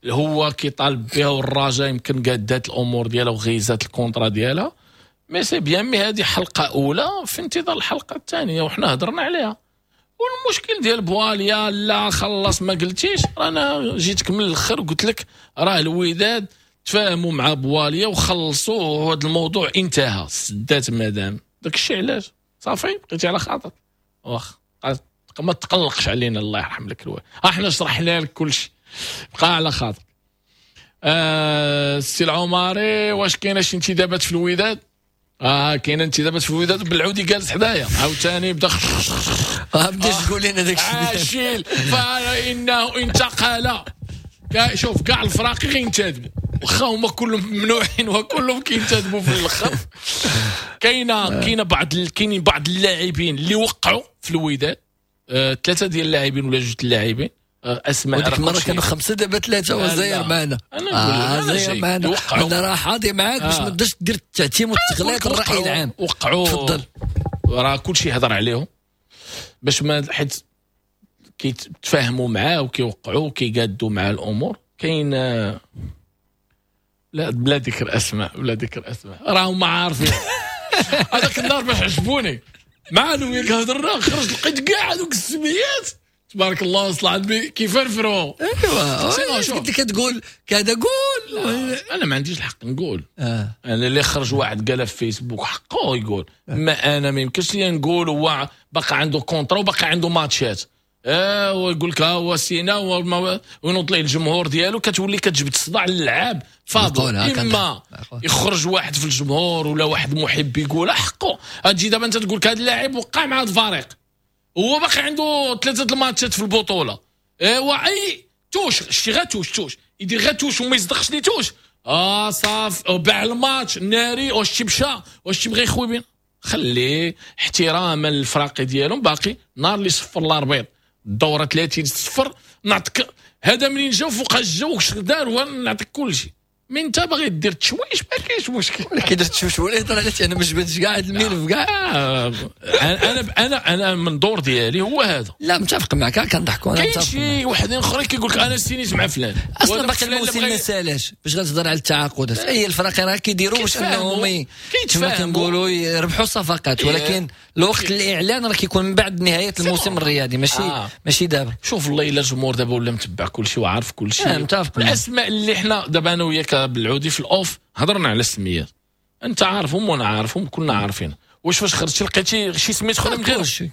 Speaker 1: هو كيطالب بها والرجاء يمكن قادات الامور ديالها وغيزات ال contrat ديالها، mais c'est bien. mais هذه حلقة اولى في انتظار الحلقة الثانية، وحنا هضرنا عليها. والمشكل ديال بواليا لا خلص ما قلتيش، انا جيتك من الاخر وقلت لك راه الوداد تفاهموا مع بواليا وخلصوا وهذا الموضوع انتهى، سدات مادام داك الشيء. علاش صافي بقيتي على خاطر، واخا ما تقلقش علينا الله يرحم لك الوالد، احنا شرحنا لك كل شيء، بقى على خاطر. السي العماري واش كاينه شي انتدابات في الوداد؟ كاينه انتدابات في الوداد، بالعودي جالس حدايا عاوتاني بدا
Speaker 2: بداش تقول لنا داك الشيء
Speaker 1: عاشيل فانه انتقل. شوف كاع الفراقي غينتدبوا واخا هما كلهم ممنوعين وكلهم كينتدبوا في الاخر. كاينه بعض كاينين بعض اللاعبين اللي وقعوا في الوداد، ثلاثة ديال اللاعبين ولا جوج اللاعبين اسماء.
Speaker 2: وديك المرة كانوا خمسة دابا ثلاثة، وزاير معنا.
Speaker 1: انا
Speaker 2: زاير معنا، انا راه حاضي معاك باش ما تبداش دير التعتيم والتغليط الراي العام.
Speaker 1: وقعوا
Speaker 2: تفضل،
Speaker 1: راه كلشي هضر عليهم باش ما حيت كيتفاهموا معاه وكيوقعوا وكيقادوا مع الامور. كاين لا بلا ذكر اسماء، بلا ذكر اسماء، راهم عارفين. هذاك النهار باش عجبوني مع انا وياك هضرنا، خرج لقيت كاع هذوك السميات تبارك الله صلى على النبي كيفرفروا.
Speaker 2: ايوا كنت كتقول كذا قول،
Speaker 1: انا ما عنديش الحق نقول. انا اللي خرج واحد قالها في فيسبوك حقه يقول، ما انا ما يمكنش لي نقول. هو باقي عنده contrat وباقي عنده ماتشات، ويقول لك ها هو سينا وينوض ليه الجمهور ديالو، كتولي كتجبد الصداع للعاب فاضل. اما يخرج واحد في الجمهور ولا واحد محب يقول حقه. تجي دابا انت تقول لك هذا اللاعب وقع مع هذا الفريق، هو باقي عنده ثلاثة الماتشات في البطولة، ايوا اي touche شتي غا touche يدير غا touche وما يصدقش les touches، صاف باع الماتش ناري، واش تمشى واش تبغي يخوي بين. خليه احتراما للفراقي ديالهم، باقي نهار اللي صفر l'arbitre الدورة 30 صفر نعطيك هذا منين جا فوق الجو واش دار ونعطيك كل شيء. من انت باغي دير تشويش ما كاينش مشكل،
Speaker 2: ولكن درت تشويش ولا هضر علاش انا ما جبدتش كاع هذا الملف كاع.
Speaker 1: انا انا من دور ديالي هو هذا.
Speaker 2: لا متفق معك، كنضحكوا.
Speaker 1: انا كاين شي وحدين اخرين كيقول لك انا سينيت مع فلان،
Speaker 2: اصلا باقي الموسم ما سالاش باش غتهضر على التعاقدات. اي الفرق راه كيديروا باش انهم كما كنقولوا يربحوا صفقات، ولكن الوقت الاعلان راه كيكون من بعد نهاية الموسم الرياضي، ماشي دابا.
Speaker 1: شوف الله الا الجمهور دابا ولا متبع كل شيء وعارف كل شيء.
Speaker 2: متفق.
Speaker 1: الاسماء اللي حنا دابا انا وياك بالعودي في ال off هضرنا على السميات، انت عارفهم وانا عارفهم كلنا عارفين. واش فاش خرجتي لقيتي شي سميت اخرى من غير
Speaker 2: كلشي؟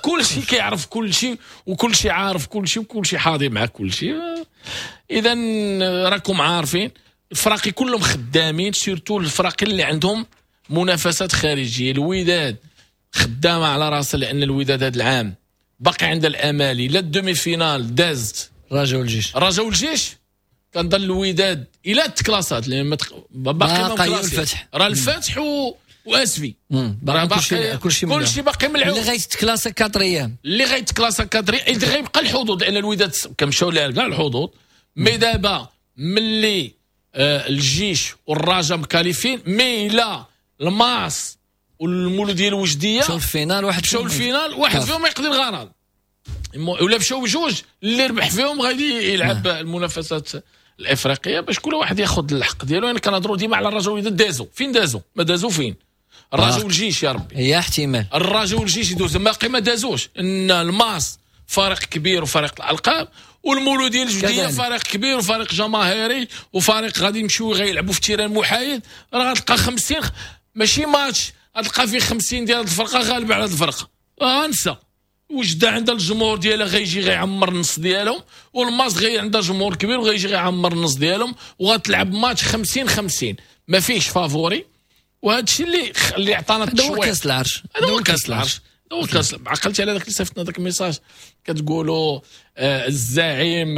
Speaker 1: كلشي كيعرف كلشي وكلشي عارف كلشي وكلشي حاضر مع كلشي. اذا راكم عارفين الفراقي كلهم خدامين، surtout الفراقي اللي عندهم منافسات خارجية. الوداد خدامه على راسها، لان الوداد هذا العام باقي عندها الامال الى ال demi-finale دازت
Speaker 2: الرجاء والجيش.
Speaker 1: الرجاء والجيش كنظن الوداد الى تكلاسات، لان باقي الفتح، راه الفتح واسفي
Speaker 2: راه باقي
Speaker 1: كلشي باقي ملعوب.
Speaker 2: اللي غيتكلاسا quatrième،
Speaker 1: اللي غيتكلاسا quatrième اللي غيبقى الحظوظ، لان الوداد كنمشاو لها كاع الحظوظ. mais دابا ملي الجيش والرجاء مكاليفين، mais لا الماس والمولوديه الوجديه
Speaker 2: مشاو ال finale، واحد
Speaker 1: مشاو ال finale واحد فيهم يقضي الغرض، ولا مشاو بجوج اللي ربح فيهم غادي يلعب المنافسات الافريقية باش كل واحد ياخذ الحق ديالو. يعني كنهضروا ديما على الرجاء والوداد دازوا فين، دازوا ما دازوا فين؟ الرجاء والجيش يا ربي
Speaker 2: هي احتمال
Speaker 1: الرجاء والجيش يدوزوا، باقي ما دازوش. ان الماس فريق كبير وفريق الالقاب، والمولوديه الجديدة فريق كبير وفريق جماهيري وفريق غادي يمشيو غيلعبوا في terrain محايد. راه غتلقى 50 ماشي ماتش، غتلقى فيه 50 ديال الفرقة غالبه على هاد الفرقة. انسى وجده عندها الجمهور ديالها غيجي غيعمر النص ديالهم، والماس غي عندها جمهور كبير وغيجي غيعمر النص ديالهم، وغتلعب ماتش 50-50 ما فيهش favori. وهذا الشيء اللي عطانا التشويق.
Speaker 2: هذا هو كاس العرش،
Speaker 1: هذا هو كاس العرش، هذا هو كاس. عقلتي على ذاك اللي صيفطنا ذاك ال message كتقولوا الزعيم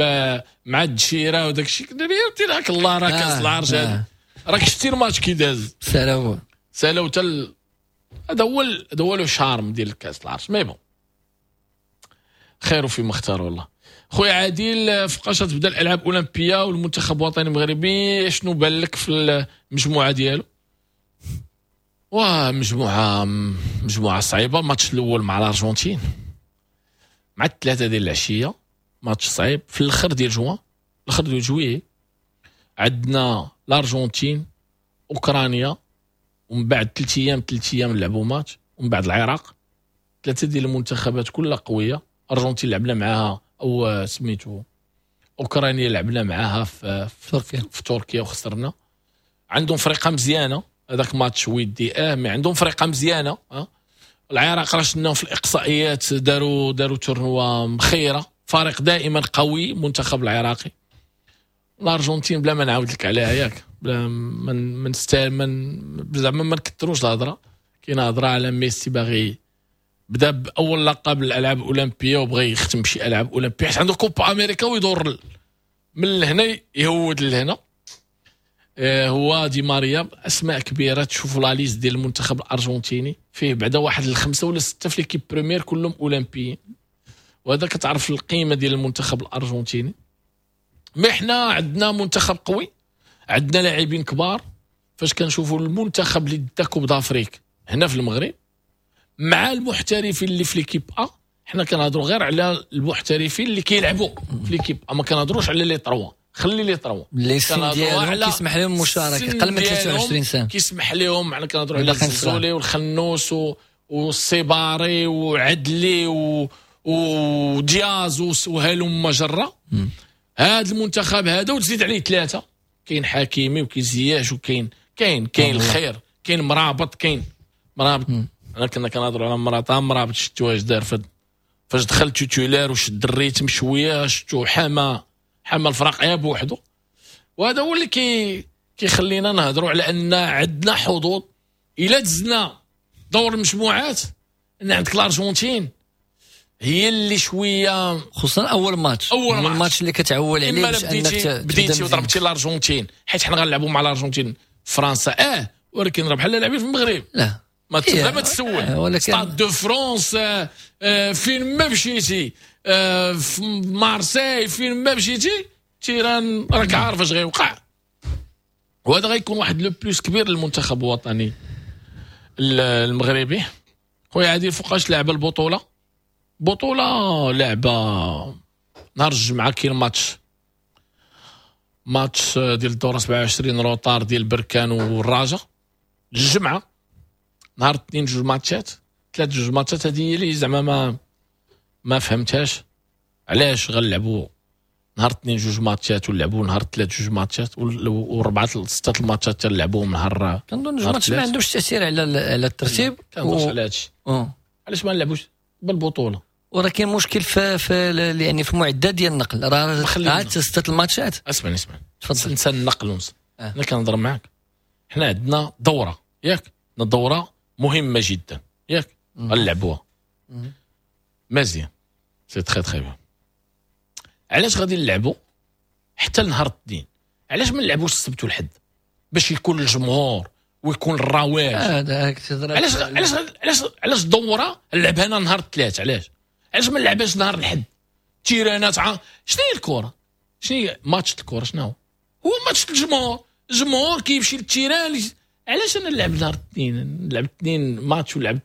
Speaker 1: مع الدشيره وداك الشيء، قلت لك الله راه كاس العرش هذا. راك شتي الماتش كي داز
Speaker 2: سالاو
Speaker 1: سالاو حتى هذا هو هذا هو le charme ديال كاس العرش. mais bon خير فيما اختار والله. خويا عادل، فوقاش تبدا الالعاب الاولمبية والمنتخب الوطني المغربي، شنو بان لك في المجموعة ديالو؟ واه مجموعة صعيبة. الماتش الاول مع الارجنتين مع 3 ديال العشية، ماتش صعيب في الاخر ديال جوان، الاخر ديال juillet. عندنا الارجنتين، اوكرانيا، ومن بعد 3 ايام نلعبوا ماتش، ومن بعد العراق. ثلاثة ديال المنتخبات كلها قوية. الارجنتين لعبنا معاها او سميتو اوكرانيا لعبنا معاها في تركيا وخسرنا. عندهم فرقه مزيانه، هذاك ماتش ودي mais عندهم فرقه مزيانه. العراق راه شفناهم في الاقصائيات، داروا tournoi مخيرة، فريق دائما قوي منتخب العراقي. الارجنتين بلا ما نعاود لك عليها ياك، بلا ما نستاهل زعما ما نكثروش الهضرة. كاين هضره على ميسي باغي بدا باول لقب الالعاب الاولمبية وبغى يختم بشي العاب اولمبيه، حيت عنده كوبا امريكا ويدور من لهنا يهود لهنا. هو دي ماريا، اسماء كبيرة. تشوفوا la liste ديال المنتخب الارجنتيني فيه بعدا واحد 5 ولا 6 في l'équipe première كلهم اولمبيين، وهذا كتعرف القيمة ديال المنتخب الارجنتيني. mais حنا عندنا منتخب قوي، عندنا لاعبين كبار. فاش كنشوفوا المنتخب اللي دا Coupe d'Afrique هنا في المغرب مع المحترفين اللي في l'équipe A، حنا كنهضروا غير على المحترفين اللي كيلعبوا في l'équipe A، ما كنهضروش على les trois. خلي les trois
Speaker 2: اللي السن ديالهم كيسمح لهم المشاركة اقل من 23 سنة
Speaker 1: كيسمح لهم. حنا كنهضروا على الزلزولي والخنوس والسيباري وعدلي ودياز وهلم جره. هذا المنتخب هذا وتزيد عليه 3، كاين حكيمي وكاين زياش وكاين كاين كاين الخير، كاين مرابط، كاين مرابط. انا كنا كنهضروا على مرابط، شفتو اش دار فاش دخل titulaire وشد ال rythme شوية، شفتو حما الفرق غير بوحدو. وهذا هو اللي كيخلينا نهضروا على ان عندنا حظوظ الا دزنا دور المجموعات. ان عندك الارجنتين هي اللي شوية،
Speaker 2: خصوصا اول ماتش، اول ماتش اللي كتعول عليه باش انك
Speaker 1: بديتي وضربتي الارجنتين، حيت حنا غنلعبوا مع الارجنتين فرنسا ولكن راه بحال لاعبين في المغرب.
Speaker 2: لا
Speaker 1: ما ما تسول Stade de France، فين ما مشيتي، في مارسيل فين ما مشيتي terrain راك عارف اش غيوقع. وهذا غيكون واحد le plus كبير للمنتخب الوطني المغربي. خويا عادل، فوقاش لعب البطولة؟ بطوله لعبه نهار الجمعة، كاين ماتش ديال الدورة 27 retard ديال بركان والرجاء الجمعة. نهار الاثنين 2 ماتشات، 3 2 ماتشات. هذه هي اللي زعما ما فهمتهاش، علاش غنلعبوا نهار الاثنين 2 ماتشات ونلعبوا نهار الثلاث 2 ماتشات و4 6 الماتشات تلعبوهم نهار.
Speaker 2: كنظن 2 ماتش ما عندهمش تاثير على الترتيب.
Speaker 1: كنظنش على هادشي. علاش ما نلعبوش بالبطولة؟
Speaker 2: وراه كاين مشكل في يعني في المعدات ديال النقل، راه عاد 6 الماتشات.
Speaker 1: اسمعني تفضل. ننسى النقل ونسى. انا كنهضر معاك، حنا عندنا دوره ياك، عندنا دوره مهمة جدا ياك، غنلعبوها مزيان، c'est très très bien. علاش غادي نلعبوا حتى لنهار الاثنين؟ علاش ما نلعبوش السبت والحد باش يكون الجمهور ويكون الرواج؟ علاش علاش علاش علاش الدورة نلعبها انا نهار الثلاث؟ علاش ما نلعبهاش نهار الحد؟ تيرانات شنو هي الكره؟ شنو هي ماتش الكره؟ شنو هو؟ هو ماتش الجمهور. الجمهور كيمشي لل terrain. علاش انا نلعب نهار الاثنين؟ نلعب 2 ماتش ولعب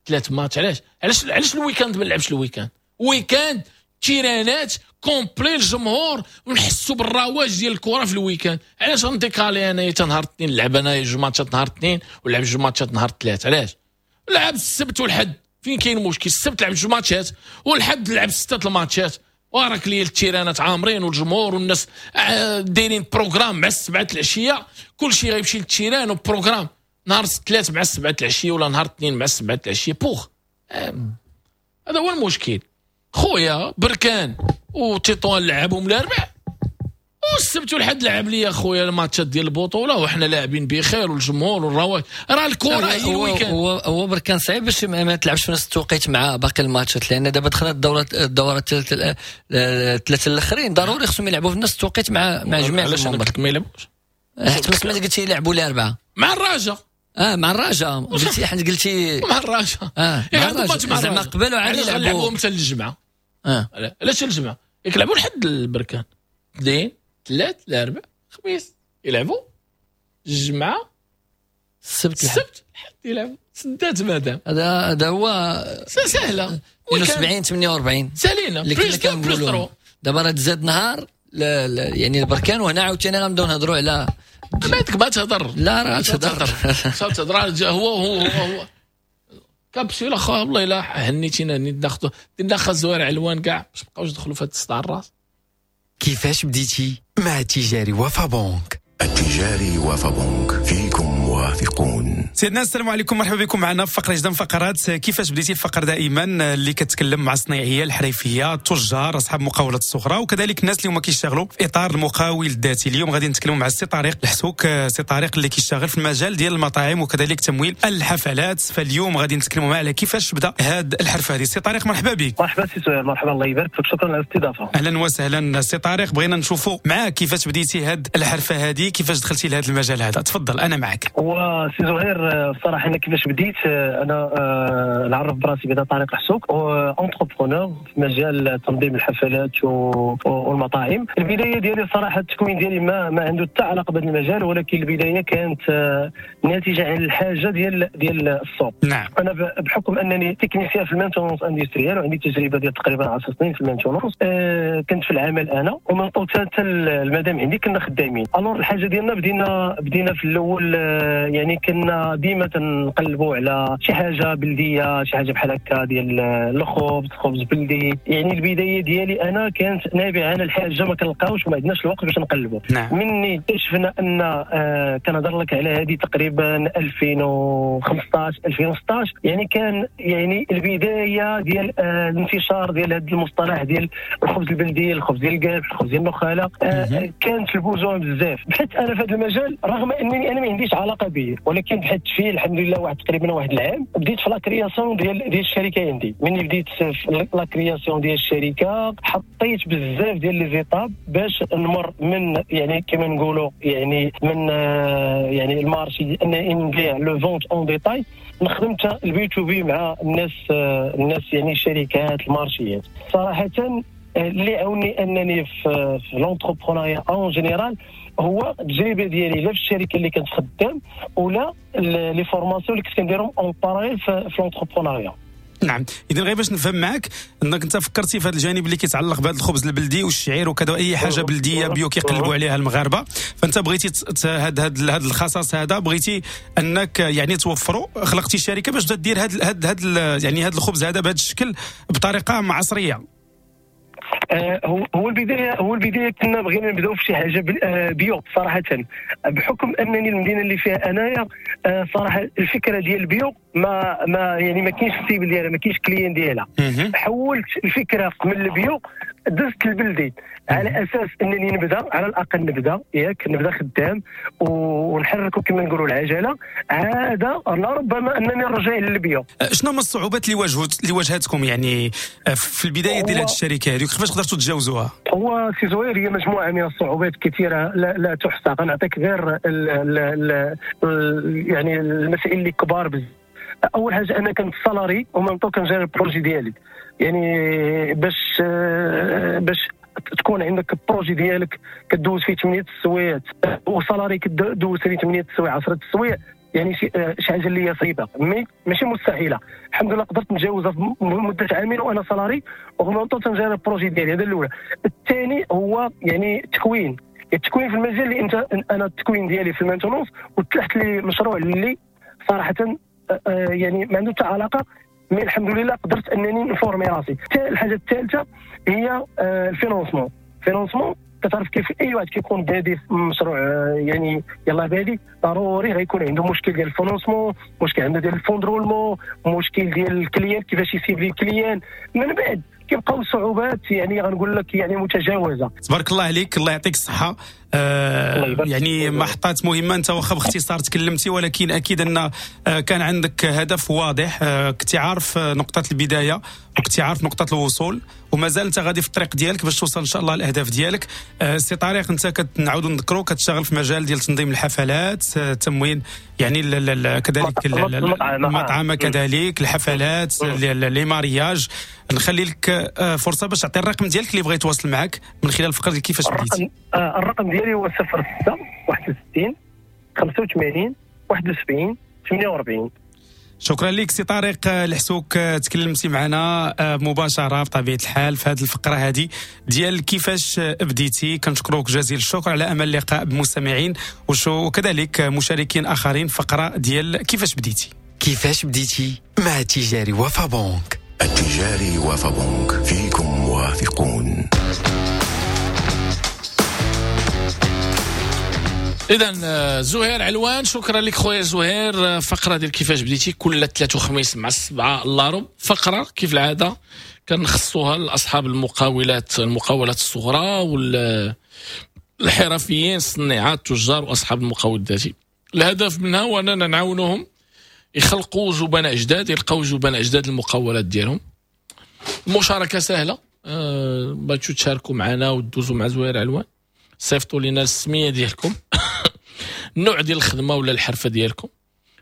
Speaker 1: 3 ماتش. علاش علاش علاش ال week-end ما نلعبش ال week-end؟ week-end تيرانات complet الجمهور ونحسوا بالرواج ديال الكره في ال week-end. علاش غن décaler انايا حتى نهار الاثنين نلعب انا 2 ماتشات نهار الاثنين ونلعب 2 ماتشات نهار الثلاث؟ علاش؟ لعب السبت والحد، فين كاين المشكل؟ السبت لعب 2 ماتشات والحد لعب 6 الماتشات، وراك لي التيرانات عامرين والجمهور والناس دايرين programme مع 7 العشية، كلشي غيمشي لل terrain و programme نهار الثلاث مع 7 العشية ولا نهار الاثنين مع 7 العشية بوخ. هذا هو المشكل خويا. بركان وتطوان لعبهم الاربع، والسبت والحد لعب لي خويا الماتشات ديال البطولة وحنا لاعبين بخير والجمهور والرواج. راه الكره هي ال week-end.
Speaker 2: هو بركان صعيب باش ما تلعبش في نفس التوقيت مع باقي الماتشات، لان دابا دخلت الدورة الثلاثة الاخرين ضروري خصهم يلعبوا في نفس التوقيت مع جميع.
Speaker 1: علاش انا قلت لك ما يلعبوش؟
Speaker 2: حيت ما سمعت قلتي يلعبوا الاربعة
Speaker 1: مع الرجاء.
Speaker 2: مع الرجاء قلتي، حيت قلتي
Speaker 1: مع الرجاء.
Speaker 2: مع الرجاء زعما قبلوا عاد
Speaker 1: يلعبوا حتى الجمعة. علاش الجمعة؟ يلعبوا لحد البركان 2 3 4 خميس يلعبوا، الجمعة السبت الحد يلعبوا، سدات مادام.
Speaker 2: هذا هو
Speaker 1: سهلة.
Speaker 2: 72 48
Speaker 1: سالينا
Speaker 2: اللي كنا كنقولوا. دابا راه تزاد نهار يعني البركان، وهنا عاوتاني غنبداو نهضروا على
Speaker 1: ما تهضر.
Speaker 2: لا راه تهضر
Speaker 1: تهضر. هو هو هو كابسول اخا والله الا هنيتينا هنيت ناخذ درنا خا زوار علوان كاع باش نبقاوش ندخلوا في هذا الصداع الراس.
Speaker 6: كيفاش بديتي مع التجاري وفا بنك؟
Speaker 15: التجاري وفا بنك، فيكم واثقون.
Speaker 16: سيدنا السلام عليكم، مرحبا بكم معنا في فقره جدا فقرات كيفاش بديتي. الفقرة دائما اللي كتكلم مع الصناعية، الحريفيه، التجار، اصحاب المقاولات الصغرى، وكذلك الناس اللي هما كيشتغلوا في اطار المقاول الذاتي. اليوم غادي نتكلموا مع السي طارق الحسوك، سي طارق اللي كيشتغل في المجال ديال المطاعم وكذلك تمويل الحفلات. فاليوم غادي نتكلموا معاه على كيفاش بدا هذا الحرفة هذه. سي طارق مرحبا بك.
Speaker 17: مرحبا سي سهير، مرحبا، الله يبارك فيك، شكرا على الاستضافة.
Speaker 16: اهلا وسهلا سي طارق، بغينا نشوفوا معاك كيفاش بديتي هذه الحرفة هذه، كيفاش دخلتي لهذا المجال هذا. تفضل انا معك.
Speaker 17: هو سي زهير الصراحة انا كيفاش بديت، انا نعرف براسي بدا طارق الحسوك، entrepreneur في مجال تنظيم الحفلات والمطاعم. البداية ديالي الصراحة التكوين ديالي ما عنده حتى علاقة بهذا المجال، ولكن البداية كانت ناتجة عن الحاجة ديال السوق.
Speaker 16: نعم.
Speaker 17: انا بحكم انني technicien في ال maintenance industrielle وعندي تجربه ديال تقريبا 10 سنين في ال maintenance، كنت في العمل انا ومن طول حتى المدام عندي كنا خدامين. alors الحاجة ديالنا بدينا في الاول، يعني كنا ديما تنقلبوا على شي حاجة بلديه، شي حاجة بحال هكا ديال الخبز، خبز بلدي. يعني البداية ديالي انا كانت نابعة عن الحاجة، ما كنلقاوش وما عندناش الوقت باش نقلبوا.
Speaker 16: نعم.
Speaker 17: مني اكتشفنا ان كنهضر لك على هذه تقريبا 2015 2016، يعني كان يعني البداية ديال الانتشار ديال هذا المصطلح ديال الخبز البلدي، الخبز ديال القلب، الخبز ديال النخاله. كانت ال besoin بزاف. بحثت انا في هذا المجال رغم انني انا ما عنديش علاقة به، ولكن بحثت فيه الحمد لله واحد تقريبا واحد العام. بديت في la création ديال الشركة عندي. ملي بديت في la création ديال الشركة حطيت بزاف ديال les étapes باش نمر من يعني كما نقولوا يعني من يعني ال marché انني نبيع la vente en détail، نخدم ال B to B مع الناس يعني الشركات المارشيات. صراحة اللي عاوني انني في l'entrepreneuriat en général هو التجربة ديالي لا في الشركة اللي كنت خدام ولا les formations اللي كنت كنديرهم en parallèle في l'entrepreneuriat.
Speaker 16: نعم، اذا غير باش نفهم معك انك انت فكرتي في هذا الجانب اللي كيتعلق بهذا الخبز البلدي والشعير وكذا واي حاجة بلديه bio كيقلبوا عليها المغاربة، فانت بغيتي هذا الخصاص هذا بغيتي انك يعني توفره، خلقتي شركة باش تدير هذا يعني هذا الخبز هذا بهذا الشكل بطريقة عصرية.
Speaker 17: هو البداية كنا بغينا نبداو في شي حاجة bio صراحة، بحكم انني المدينة اللي فيها انايا صراحة الفكرة ديال ال bio ما يعني ما كاينش ال cible ديالها، ما كاينش client ديالها. حولت الفكرة من ال bio دزت البلدي على اساس انني نبدا على الاقل نبدا ياك نبدا خدام ونحركوا كما نقولوا العجلة، عادة لربما انني نرجع لل bio.
Speaker 16: شنو هما الصعوبات اللي واجهتكم يعني في البداية ديال هذه الشركة هذه، كيفاش قدرتوا تتجاوزوها؟
Speaker 17: هو سي زهير هي مجموعة من الصعوبات كثيرة لا تحصى. غنعطيك غير ال يعني المسائل اللي كبار بزاف. اول حاجة انا كنت salarié ومن طو كنجري ال projet ديالي، يعني باش تكون عندك ال projet ديالك كدوز فيه 8 السوايع و salarié كدوز فيه 8 السوايع 10 السوايع، يعني شي حاجة اللي هي صعيبة mais ماشي مستحيلة. الحمد لله قدرت نتجاوزها في مده عامين وانا salarié ومن طو تنجري ال projet ديالي. هذا الاول. الثاني هو يعني التكوين في المجال اللي انت انا التكوين ديالي في ال maintenance وتلحت لي مشروع اللي صراحة يعني ما عنده حتى علاقة، mais الحمد لله قدرت انني نفورمي راسي. الحاجة الثالثة هي ال financement. financement كتعرف كيف اي واحد كيكون بادي في مشروع يعني يلاه بادي ضروري غيكون عنده مشكل ديال ال financement، مشكل عنده ديال ال fonds de roulement، مشكل ديال ال client كيفاش يسيبلي ال client. من بعد كيبقاو صعوبات يعني غنقول لك يعني متجاوزه.
Speaker 16: تبارك الله عليك، الله يعطيك الصحة. يعني محطات مهمة، انت واخا باختصار تكلمتي ولكن اكيد ان كان عندك هدف واضح، كنت عارف نقطة البداية وكنت عارف نقطة الوصول ومازال انت غادي في الطريق ديالك باش توصل ان شاء الله الاهداف ديالك. سي طارق، انت كنعاودوا نذكروا كتشتغل في مجال ديال تنظيم الحفلات، تموين يعني كذلك المطعم، كذلك الحفلات، les mariages. نخلي لك فرصة باش تعطي الرقم ديالك اللي بغى يتواصل معك من خلال الفقرة كيفاش بديتي.
Speaker 17: الرقم ديالي هو 06 61 85 71 48.
Speaker 16: شكرا لك سي طارق الحسوك، تكلمتي معنا مباشرة بطبيعة الحال في هذه الفقرة هذه ديال كيفاش بديتي. كنشكروك جزيل الشكر، على امل اللقاء بمستمعين وكذلك مشاركين اخرين فقره ديال كيفاش بديتي.
Speaker 6: كيفاش بديتي مع تجاري وفا بنك.
Speaker 15: التجاري وفا بنك، فيكم واثقون.
Speaker 1: اذا زهير علوان، شكرا لك خويا زهير. فقره ديال كيفاش بديتي كل ثلاث وخميس مع 6:45، فقره كيف العادة كنخصوها لاصحاب المقاولات الصغرى والحرفيين، الصناعات، التجار واصحاب المقاول الذاتي. الهدف منها هو اننا نعاونوهم يخلقوا زبناء جداد، يلقاو زبناء جداد للمقاولات ديالهم. المشاركة سهلة، باش تشاركوا معنا وتدوزوا مع زهير علوان، صيفطوا لنا السمية ديالكم، النوع ديال الخدمة ولا الحرفة ديالكم،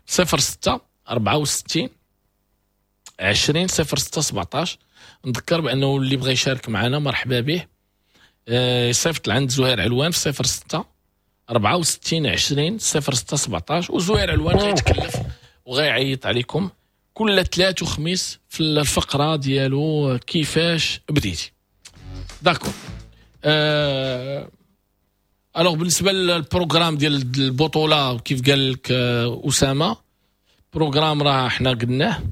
Speaker 1: 06 64 20 06 17. نذكر بانه اللي بغى يشارك معنا مرحبا به، يصيفط لعند زهير علوان في 06 64 20 06 17، وزهير علوان غيتكلف وغيعيط عليكم كل ثلاث وخميس في الفقرة ديالو كيفاش بديتي. d'accord. alors بالنسبة لل programme ديال البطولة كيف قال لك اسامة، programme راه حنا قلناه.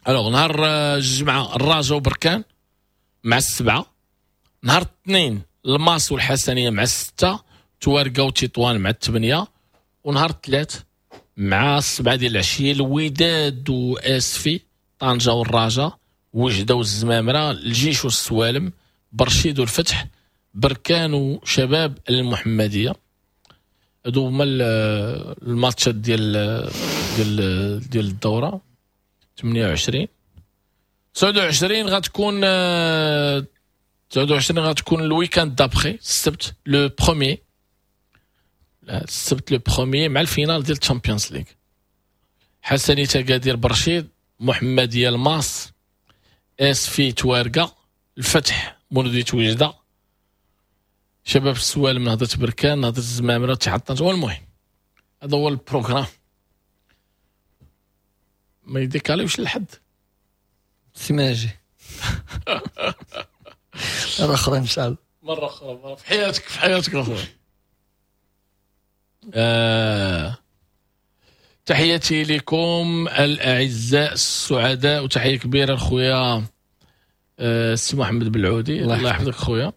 Speaker 1: alors نهار الجمعة الرجاء وبركان مع 7، نهار الاثنين الماس والحسنيه مع 6، توارقه وتطوان مع 8، ونهار الثلاث مع 7 ديال العشية الوداد واسفي، طنجه والرجاء، وجده والزمامره، الجيش والسوالم، برشيد والفتح، بركان وشباب المحمدية. هادو هما الماتشات ديال ديال ديال الدورة. 28 29 غتكون 29 غتكون ال week-end d'après السبت le premier، السبت le premier مع ال finale ديال الشامبيونز ليغ. حسني تقادير برشيد، محمديه الماس، اسفي توارقه، الفتح مولودية وجده، شباب السوالم، نهضة بركان، نهضة الزمامرة، اتحاد طنجة. والمهم هذا هو ال programme، ما يديكاليوش لحد
Speaker 2: سيماجي. مرة أخرى إن شاء الله،
Speaker 1: مرة أخرى في حياتك، في حياتك أخويا. تحياتي لكم الأعزاء السعداء، وتحية كبيرة لخويا السي محمد بالعودي، الله يحفظك خويا.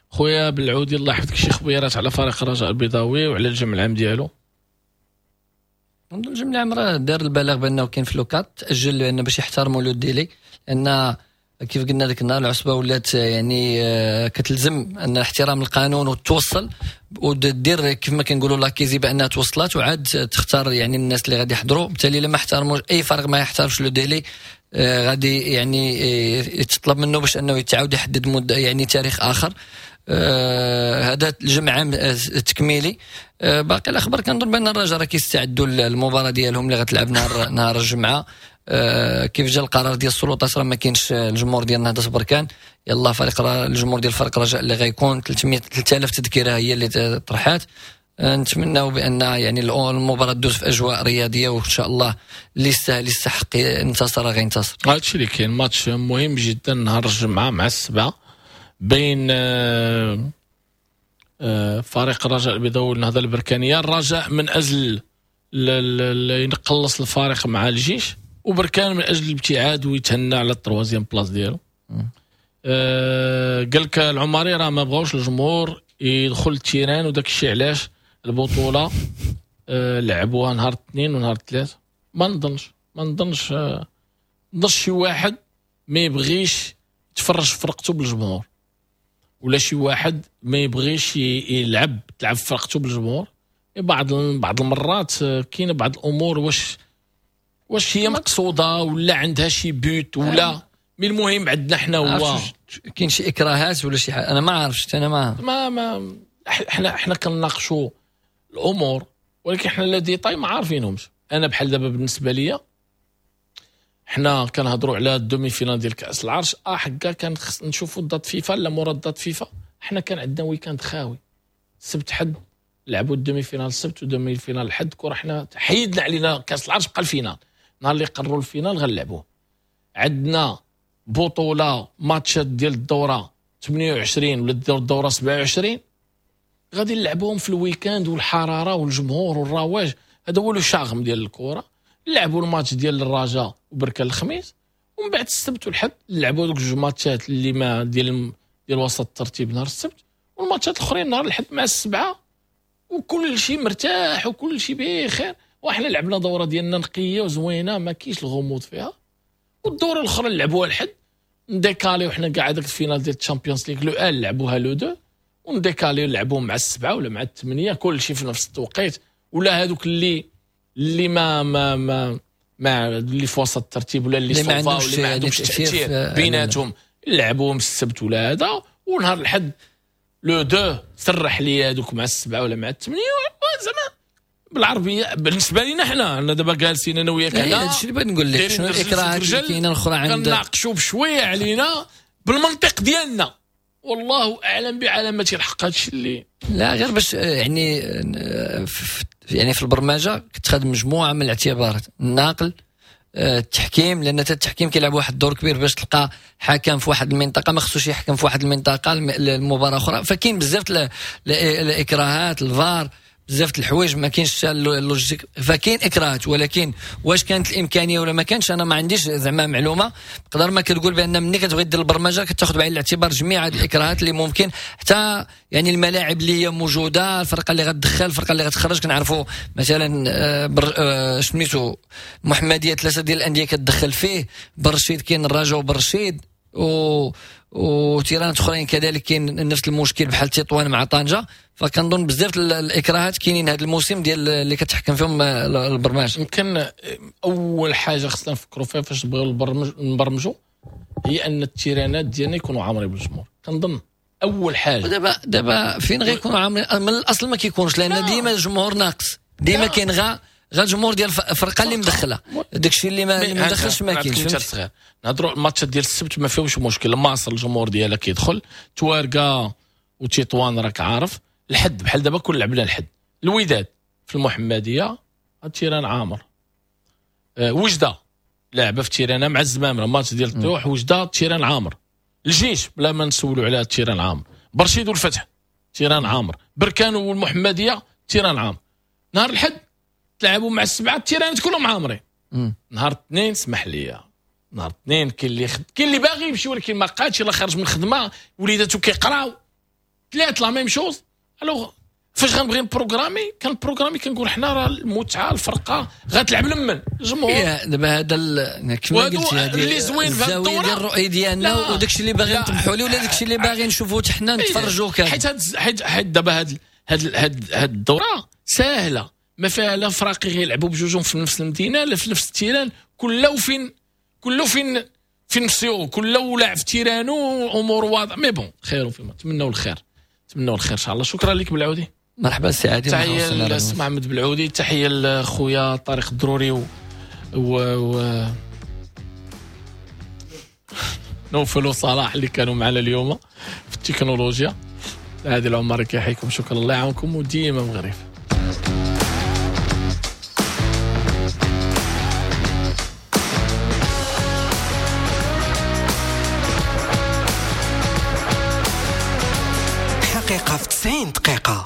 Speaker 1: خويا بالعودي الله يحفظك، شي خبيرات على فريق الرجاء البيضاوي وعلى الجمع العام ديالو.
Speaker 2: الجمع العام راه دار البلاغ بانه كاين في le quatre تاجل، لان باش يحترموا le délai، لان كيف قلنا ذاك النهار العصبة ولات يعني كتلزم ان احترام القانون وتوصل ودير كيف ما كنقولوا l'accusé بانها توصلت، وعاد تختار يعني الناس اللي غادي يحضروا. بالتالي لما احترموا اي فريق ما يحترمش le délai غادي يعني يتطلب منه باش انه يتعاود يحدد مده يعني تاريخ اخر. هذا الجمع عام التكميلي. باقي الاخبار كنظن بان الرجاء راه كيستعدوا للمباراة ديالهم اللي غتلعب نهار الجمعة. كيف جا القرار ديال السلطات راه ما كاينش الجمهور ديال نهضة بركان، يلا فريق الجمهور ديال فريق الرجاء اللي غيكون 3000 تذكره هي اللي طرحات. نتمناو بان يعني المباراة تدوز في اجواء رياضية، وان شاء الله اللي يستاهل يستحق ينتصر غينتصر.
Speaker 1: هادشي اللي كاين، ماتش مهم جدا نهار الجمعة مع 7 بين فريق الرجاء البيضاوي والنهضه البركانيه. الرجاء من اجل ينقلص الفارق مع الجيش، وبركان من اجل الابتعاد ويتهنى على ال troisième place ديالو. قال لك العماري راه ما بغاوش الجمهور يدخل ال terrain، وداك الشيء علاش البطولة لعبوها نهار الاثنين ونهار الثلاث. ما نظنش شي واحد ما يبغيش يتفرج فرقته بالجمهور، ولا شي واحد ما يبغيش يلعب تلعب فرقته بالجمهور. بعض المرات كاين بعض الامور واش هي مقصوده ولا عندها شي but ولا، mais المهم عندنا حنا هو
Speaker 2: كاين شي اكراهات ولا شي حاجة، انا ما عرفتش. انا ما
Speaker 1: ما حنا كنناقشوا الامور، ولكن حنا les détails ما عارفينهمش. انا بحال دابا بالنسبة ليا حنا كنهضروا على ال demi-finale ديال كاس العرش، حكا كان خص نشوفوا date FIFA لا مورا date FIFA. حنا كان عندنا week-end خاوي، سبت حد لعبوا ال demi-finale السبت و demi-finale الحد، كره حنا حيدنا علينا كاس العرش، بقى ال finale. نهار اللي قرروا ال finale غنلعبوه. عندنا بطوله ماتشات ديال الدورة 28 ولا الدورة 27 غادي نلعبوهم في ال week-end، والحرارة والجمهور والرواج، هذا هو le charme ديال الكره. لعبوا الماتش ديال الرجاء وبركان الخميس، ومن بعد السبت والحد لعبوا دوك جوج ماتشات اللي ما ديال وسط الترتيب نهار السبت، والماتشات الاخرين نهار الحد مع 7، وكل شيء مرتاح وكل شيء بخير. وحنا لعبنا دوره ديالنا نقية وزوينه ما كاينش الغموض فيها، والدوره الاخرى لعبوها الحد نديكاليو حنا كاع هذاك ال finale ديال ال Champions League le un لعبوها le deux، ونديكاليو لعبوهم مع 7 ولا مع 8، كل شيء في نفس التوقيت. ولا هذوك اللي ما ما ما ما اللي في وسط الترتيب ولا اللي صوفا واللي ما عندهمش تاثير بيناتهم لعبوهم السبت ولا هذا، ونهار الحد le deux سرح لي هذوك مع 7 ولا مع 8. زعما بالعربية بالنسبة لينا حنا دابا جالسين انا وياك هنا،
Speaker 2: هادشي اللي بغيت نقول لك، شنو الاكراهات اللي كاينه الاخرى عند
Speaker 1: كنناقشوا بشوية علينا بالمنطق ديالنا، والله اعلم بعلامة الحق. هادشي اللي
Speaker 2: لا غير باش يعني في البرمجة كتخدم مجموعة من الاعتبارات، النقل، التحكيم، لان التحكيم كيلعب واحد الدور كبير باش تلقى حكم في واحد المنطقة ما خصوش يحكم في واحد المنطقة المباراة اخرى، فكاين بزاف الاكراهات، الفار، بزاف الحوايج، ما كاينش ال logistique، فكاين اكراهات. ولكن واش كانت الامكانية ولا ما كانش انا ما عنديش زعما معلومة. بقدر ما كتقول بان ملي كتبغي دير البرمجة كتاخذ بعين الاعتبار جميع هذه الاكراهات اللي ممكن، حتى يعني الملاعب اللي هي موجودة، الفرقة اللي غتدخل، الفرقة اللي غتخرج. كنعرفوا مثلا سميتو المحمدية 3 ديال الاندية كتدخل فيه، برشيد كاين الرجاء وبرشيد وتيرانات اخرين كذلك كاين نفس المشكل بحال تطوان مع طنجه. فكنظن بزاف الاكراهات كاينين هذا الموسم ديال اللي كتحكم فيهم البرمجة.
Speaker 1: يمكن اول حاجة خصنا نفكروا فيها فاش نبغيو نبرمجوا هي ان التيرانات ديالنا يكونوا عامرين بالجمهور. كنظن اول حاجة
Speaker 2: دابا فين غيكونوا عامرين؟ من الاصل ما كيكونش، لان ديما الجمهور ناقص، ديما كاين غا الجمهور ديال الفرقة اللي مدخله، داكشي اللي ما مدخلش ما كاينش.
Speaker 1: صغير نهضروا الماتشات ديال السبت ما فيهمش مشكل، ماصر الجمهور ديالها كيدخل، توارقه وتطوان راك عارف. الحد بحال دابا كل لعبنا الحد، الوداد في المحمدية ال terrain عامر، وجده لعبه في terrain مع الزمامره ماتش ديال الطيوح، وجده terrain عامر، الجيش بلا ما نسولوا على terrain عامر، برشيد والفتح terrain عامر، بركان والمحمديه terrain عامر. نهار الحد تلعبوا مع 7 التيرانات كلهم عامرين. نهار الاثنين اسمح لي، نهار الاثنين كاين اللي باغي يمشي ولكن ما قادش، الا خرج من الخدمة وليداتو كيقراو ثلاث la même chose. alors فاش غنبغي نبروغرامي كنبروغرامي كنقول حنا راه المتعة الفرقة غتلعب لمن الجمهور.
Speaker 2: دابا هذا كما قلتي هذه
Speaker 1: اللي زوين في هذه الدورة
Speaker 2: ديال الرؤية ديالنا وداكشي اللي باغي نطمحوا ليه ولا داكشي اللي باغي نشوفوه حتى حنا نتفرجوا كامل.
Speaker 1: حيت دابا هاد الدورة ساهله، ما فيها لا فراقي غيلعبوا بجوجهم في نفس المدينة لا في نفس ال terrain، كله فين نفسيو، كله لاعب في تيرانو، امور واضحة. mais bon خير فيما نتمنوا الخير، نتمنوا الخير ان شاء الله. شكرا لك بالعودي.
Speaker 2: مرحبا سي عادل.
Speaker 1: تحية للسي محمد بالعودي، تحية لخويا طارق الضروري و نوفل وصلاح اللي كانوا معنا اليوم في التكنولوجيا. عادل عمر كيحييكم، شكرا، الله يعاونكم وديما مغرب.
Speaker 6: حقيقة في 90 دقيقة.